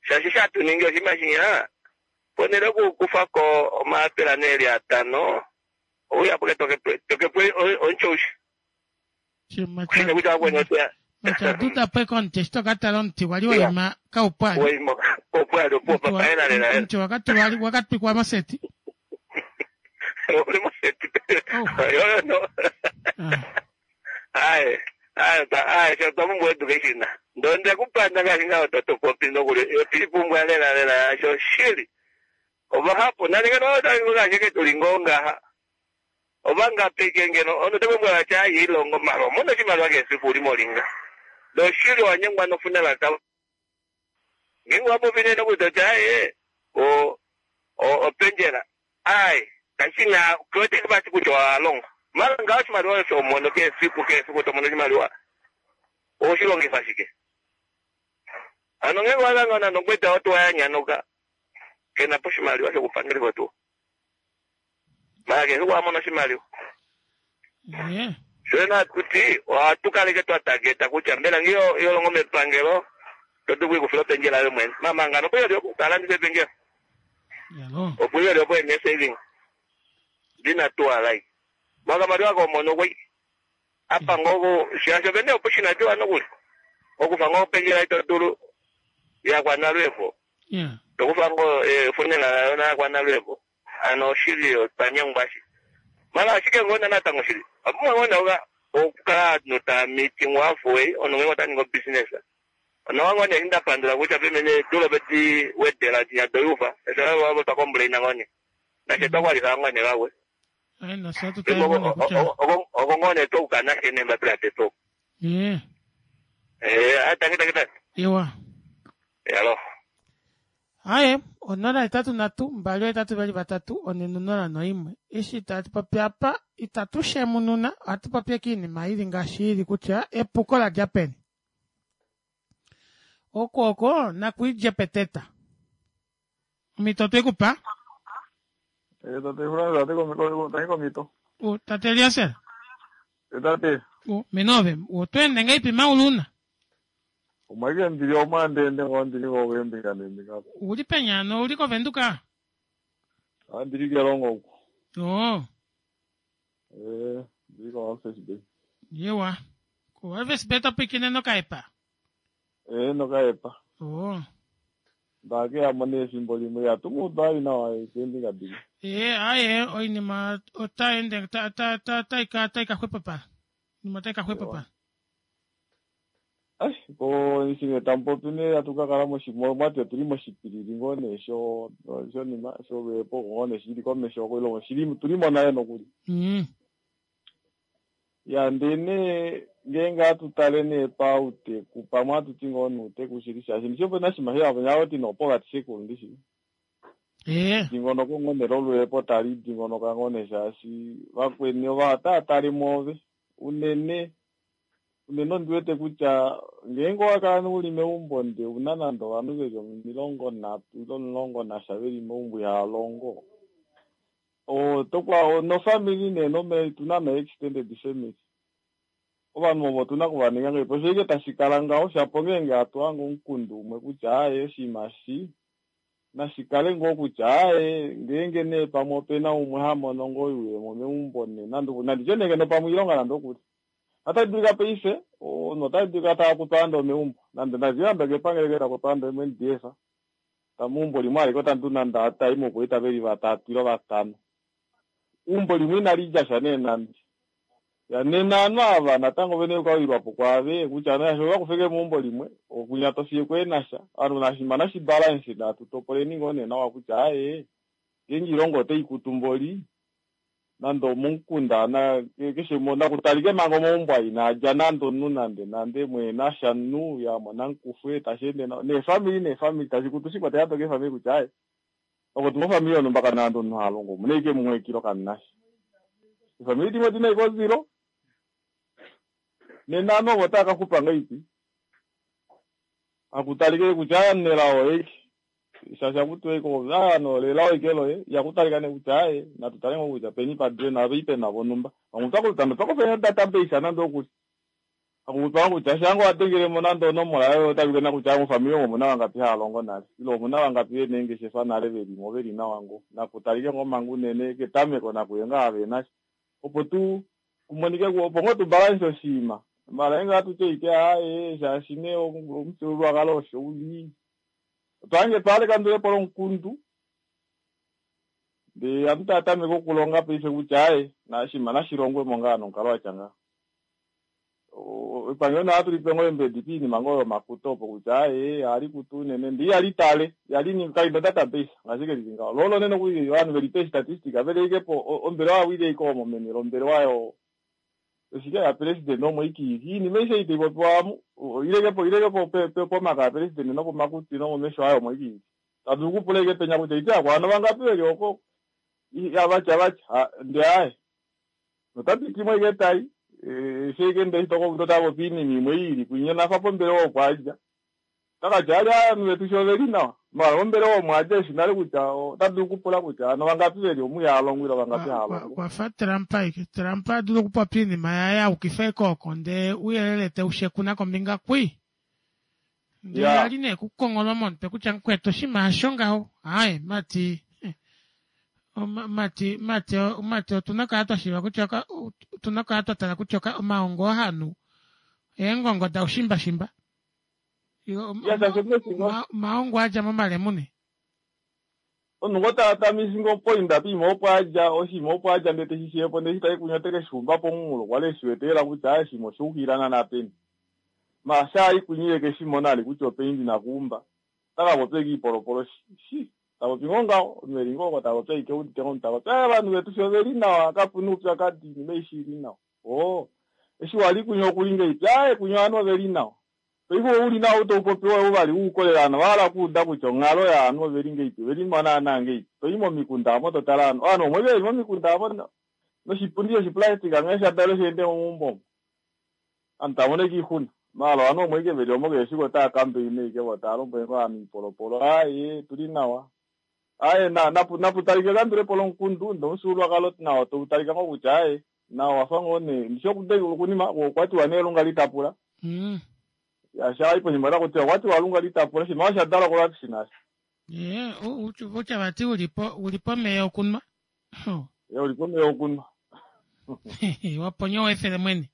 shaashi shatuningi oshinima shinya ponele okukufako omaapela neeli atano ouyapuke tokepo onchoushi kushine kutya wakweni otuya
machaduta po ekomuti eshi tokatala omuti wali waima kaupwali
waima kaupwali opuwo papaela lela
omuti wakatulwa wakatwikwa moseti
uli moseti yoyo no aye aye aye sho twapumbwa education ndo ndekupanda ngaashi ngaho totopopi nokuli otipumbwa lela lela yasho shili ovahapu nalingeno ngaashi tuli ngoo ngaha ovangapike ngeno ono tekumbwela tya ilongo mara omona oshimaliwa kesiku uli molinga doshili wanyengwa nofunela ka ngeenge wapopi nee nokuti tya aye o openjela aye kashina kiwete kibasi kutya walonga mara ngaho oshimaliwa osho omono kesiku kesiku tomono oshimaliwa oshilongifa shike ano ngeenge walangana nokweta otuwa yanyanuka kena po oshimaliwa shokupangelifa otuwa mara kesiku wamona oshimaliwa shona kuti ohatu kaleke twa tageta kutya mbela ngiyo yolongo mepangelo totu kuikufila openjela yo mwene mamangano opo yoli opo talandisa epengelo opo yoli opo ene saving dina tuwa lai makamaliwa komono kwei apa ngoko shasho pene opo shinatiwa nokuli okufa ngo opengela itodulu yakwanalwepo tokufa ngo funela yona yakwanalwepo ano oshili otwanyengwa shi mala ashike ngona natango shili apumwe ngona uka okukala ovanhu taa meeting halfway ono ngenge otaningi obusiness onawa ngone eshi ndapandula kutya pemene dulo peti wedela tinya doyufa esho twakomplaina ngone nashe twakwalifa ngone kakwe oko ngone toukana she nembapila teto eh atangi tangi tangi
iwa
yalo
aye onola hetatu nhatu mbali ohetatu vali vatatu one nonola noimwe eshi tatu popi apa itatu shemununa ohatu popi ashike oinima ili ngaashi ili kutya epuko ladja peni oko oko nakuidje peteta omhito otwekupa tate Eliaser
tate
menove otweende ngahelipi mauluna
omwake ndili omwandende ngoo ndili kokuembinga nembinga
uli penyano uli kovenduka
andili kelongo uku
oo
eh ndili ko Walvis Bay
yewa ko Walvis Bay topwikine nokaepa
eh nokaepa
oo
ndakeyamo nee efimbo limwe yatumuudali nawa kembinga dili
ee aye oinima otaende taika taika xwepopala oinima otaika xwepopala
ai ko ishinge tamupopi nee atu kakala mwati otuli moshipilili ngoo nee sho shonima sholweepo ngoo nee shili komesho koilongo shili tulimo nale nokuli
mm.
ya ndee nee ngeenge atu tale nee pauteku pamwe atuti ngoo nuuteku shili shaashi ndishi opena oshinima sheyavo ti nopovaty sekulu ndishi dingonoko ngoo nee lolweepo tali dingonoka ngoo nee shaashi vakweni ova otaatale mwoove unene unene ondiwete kutya ngeenge owakala uli meumbo nde una nande ovanhu veli omilongo nhatu ile omulongo nasha veli meumbo ihalongo otokwa nofamily nee nome tuna no extended family ovanhu ovo otuna okuvaninga ngahelipi osho ike tashi kala ngaho shapo ngeenge hatu hange omukundu umwe kutya aaye oshinima shi nashikale ngoo kutya aaye ngeenge nee pamwe opena umwe hamono ngoo oyuuyemo meumbo nee nande nanditye nee ngeno pamwe oilonga nande okuli Otali dulika paife omunhu otali dulika taakutwa nande omeumbo nande nazimbabwe kepangelo ke takutwa nande M N D F tameumbo limwe alike otandu nande atai mokuita veli vatatu ile vatano umbo limwe inali dja sha nee nande ya nena ovanhu ava natango vene okawilwapo kwaave kutya nasho vakufeke meumbo limwe okunya tofiye kweenasha ovanhu nashima nashibalance natu topoleni ngoo nee nawa kutya aaye ngeenge ilongo otai kutumboli nande omomukunda na keshe nakutalike manga omaumbo ai naadja nande omunhu nande nande mweenasha nu ya mona mukufwe tasheende nawa neefamili neefamili tashi kutu shikwatela to keefamili kutya aaye oko tumofamili yonhumba kana nande omunhu halongo omuna ashike mumwe ekilo kamunasha efamili dimwe odina ashike ozilo nena ovanhu ovo otava kaxupa ngahelipi akutalike kutya nelao eki shaashi akutiwa ike nolelao ike loye ihakutalika nee kutya aaye natu tale ngoo kutya peni padule nave pena vonhumba vamwe otwakufa database nande okuli akutwa kutya shango wadengelemo nande onomola yoye otavikena kutya mofamili omo omuna vangapi haalongo nale ile omuna vangapi vena eengeshefa nale velimo veli nawa ngo nakutalike ngoo manga unene ketameko nakuye ngaa havenasha opo tu kumonike opo ngoo tubalanse oshiima mala inga tutye ike aaye shaashi nee omufyuululwakalo osho uli otwange twaleka lomukundu ndee ovanhu tava tameke okulonga paife kutya aaye nashima nashilongwemo ngaa nomukalo watya ngaho epangelo naa tulipe ngoo embedi piinima ngoo yomakuto opo kutya aaye ohali kutu unene ndee ihali tale ihali kaina database ngaashi kelili ngaho lolo nene okuli ovanhu velipe statistic vele ike po ombelewa yawile ike omo meni lombelewa yo oshike ya president omo ikiiki iinima aishe ei taipopiwa amu ilekepo ilekepo pomaka ya president nopomakutwi nomomesho ayo omo ikiiki tadulu kupula ike penya kutya ite akwana vangapi veli oko avatya vatya ndee aaye notapitimo ike tai sheike ndee totapopi iinima imwe iili kwinya nafa pombelewa opo adja takatya ali ovanhu vetu sho oveli nawa mala mombelewa omo adja eshi nale kutya otadulu kupula kutya ano vangapi veli omu ihalongo ile vangapi haalongo
kwafa Trump ike Trump adulu okupopya iinima yaye aukifa ekooko ndee uyelele teushekuna kombinga kwi ndee ali nee kukongolwa momutwe kutya mukwetu oshinima hasho ngaho aaye mati mati mati mati otuna kala twashiiva kutya otuna kala twatala kutya omaongo ohanhu eengongo daushimba maongo adja momalemune
omunhu ngo tatamisi ngo poinda piima opo adja oshinima opo adja ndee teshishiyepo ndee shitai kunya otekeshixumba pomunghulo kwali eshiwete lela kutya aaye oshinima oshaukilila naana peni ma shaali kunyile keshimona ali kutya openi ndina kuumba otakapopya ike iipolopolo shi tapopi ngoo ngaho omunhu eli ngoo oko tapopya ike udite ngo tapopya aaye ovanhu vetu sho oveli nawa kapuna oupyakadi iinima aishe ili nawa oo eshi wali kunya okuli ngahelipi aaye kunya ovanhu oveli nawa paife ouli nawa utaupopi woye uvali uukolele ovanhu ovahala okuuda kutya onghalo yaanhu oveli ngahelipi ovelimo naana ngahelipi toyi momikunda amo totala ovanhu ovanhu omwe veli momikunda amo noshipundi shoshiplastic nghee shadalo sheende momaumbo omo ovanhu tava mono ike oixuna maala ovanhu omwe ike veli omo keshe efiku otava kambaina ike vo tava lombwele ngoo ovanhu iipolopolo aaye tuli nawa aaye naputalike ekandulepo lomukundu ndee omufyuululwakalo nawo tautalika ngoo kutya aaye nawo wafa ngoo nee ndishi okunima okwatiwa nee lunga litapula shaayi poshima otakutiwa okwatiwa lunga litapula oshinima osha dalwa kolwapisi nasho
ye utya vati ulipo ulipo omeya okunwa
ye ulipo omeya okunwa
waponya owefele mwene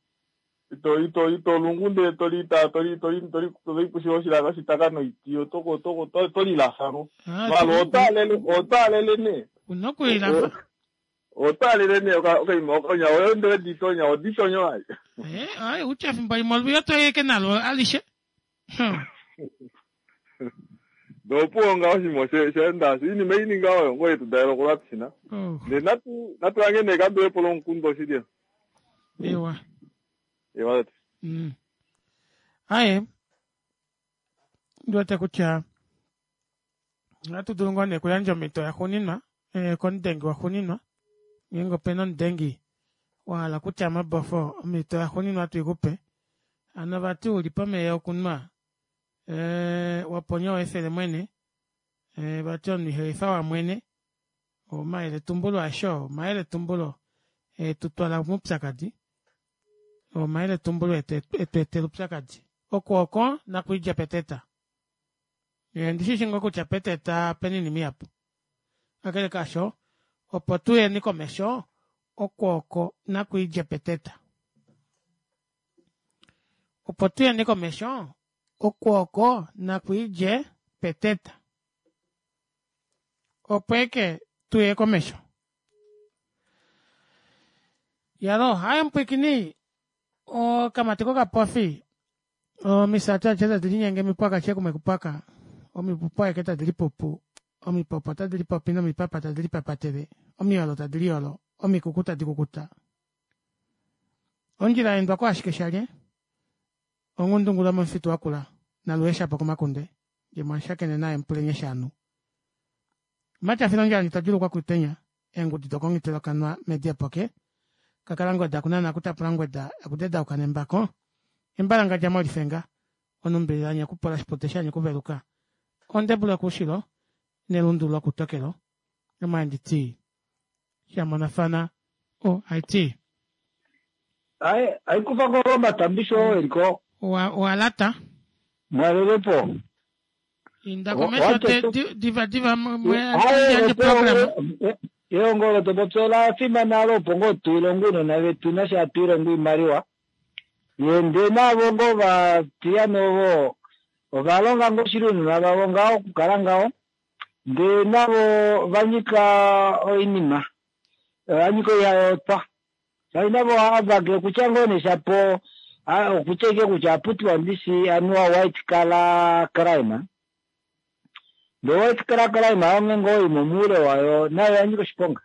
ito ito ito lungu ndee tolita toli toli toli toli oshilaka oshitaka noiti otoko toko tolilafa ngo malo otaalele otaalele nee
unokulilafa
otaalele nee okaima onya oyo ndele ditonya oditonyo ai
eh ai utya fimbo limwe olwiyo toyeke nalo alishe
dopuwo ngaho oshinima shaenda iinima ini ngaho oyo ngoye tudalelo kolwapisina ndee natu natulange nee kandulepo lomukundu oshili
ewa
ewa
mm. Aye ndiwete kutya ohatu dulu ngoo nee okuyandja omhito yaxuuninwa eh, komudengi waxuuninwa ngeenge opena omudengi wahala kutya mabofo omhito yaxuuninwa tuikupe hano vati uli pomeya okunwa eh, waponya owefele mwene eh, vati omunhu ihelifa wamwene omayeletumbulo asho omayeletumbulo etutwala moupyakadi omayeletumbulo etu etela upyakadi oko oko nakuidja peteta ndishishi ngoo kutya peteta pena oinima ihapu kakele kaasho opo tuyeni komesho oko oko nakuidja peteta. Opo tuyeni komesho, okwooko nakwiidje peteta. Opo eke tuye komesho. Yalo, haye mpwikini okamati kokapofi omisati adishe tadi linyenge omipwaka adishe kumwe kupwaka omipupu aeke tadi lipupu omipopo tadi lipopi nomipapa tadi lipapatele omiyolo tadi liyolo omikuku tadi kukuta ondjila yaendwa ashike shalye onghundungula momufitu wakula naluheshapo komakunde ndje naye mupulenye shaanu matyafilo ondjala nditadjulukwa kutenya eengudi dokongitelo medi epoke kakala ngweda kunana akutapula ngweda akudedauka nembako embalangadja molifenga onumbililanye okupola shipute shanye okuveluka ondebula koushilo nelundu lokutokelo omanditi shamonafana o it
ai aikufa ko matambisho eliko
walata
mwalelepo
inda komesho diva diva yandje program
elongo lotopopya ola fimana alo opo ngoo tuilongo ounona vetu nasha hatu ilongo oimaliwa ye ndee navo ngoo vatiyane ovo ovalonga ngoo shili ounona vavo ngaho okukala ngaho ndee navo vanyika oinima vanyika oihayotwa shaashi navo ohavake okutya ngoo neshapo okutya ike kutya aputiwa ndishi anuwa white collar crime ndee white collar crime onge ngoo imwe moule wayo nayo yanyika oshiponga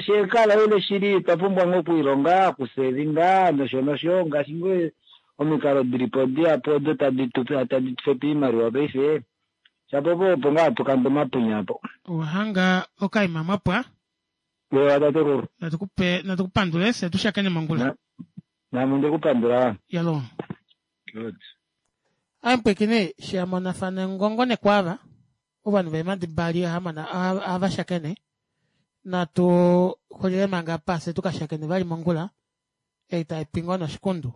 shekala ile shili twa pumbwa ngoo okuilonga okusevinga nosho nosho ngaashi ngoo omikalo dilipo dihapu odo tadi tadi tufepe oimaliwa paife shapo po opo ngaa hatukande omapunya apo
owahanga okaima mwapwa
ewa tatekulu
natukupe natukupandule fye tushakene mongula
nami ndekupandula
yalo
good
ampwekine shamonafana ngongo nekwava ovanhu veemadi mbali ahamana avashakene natu xulile manga apa fye tukashakene vali mongula ei taipingo noshikundu.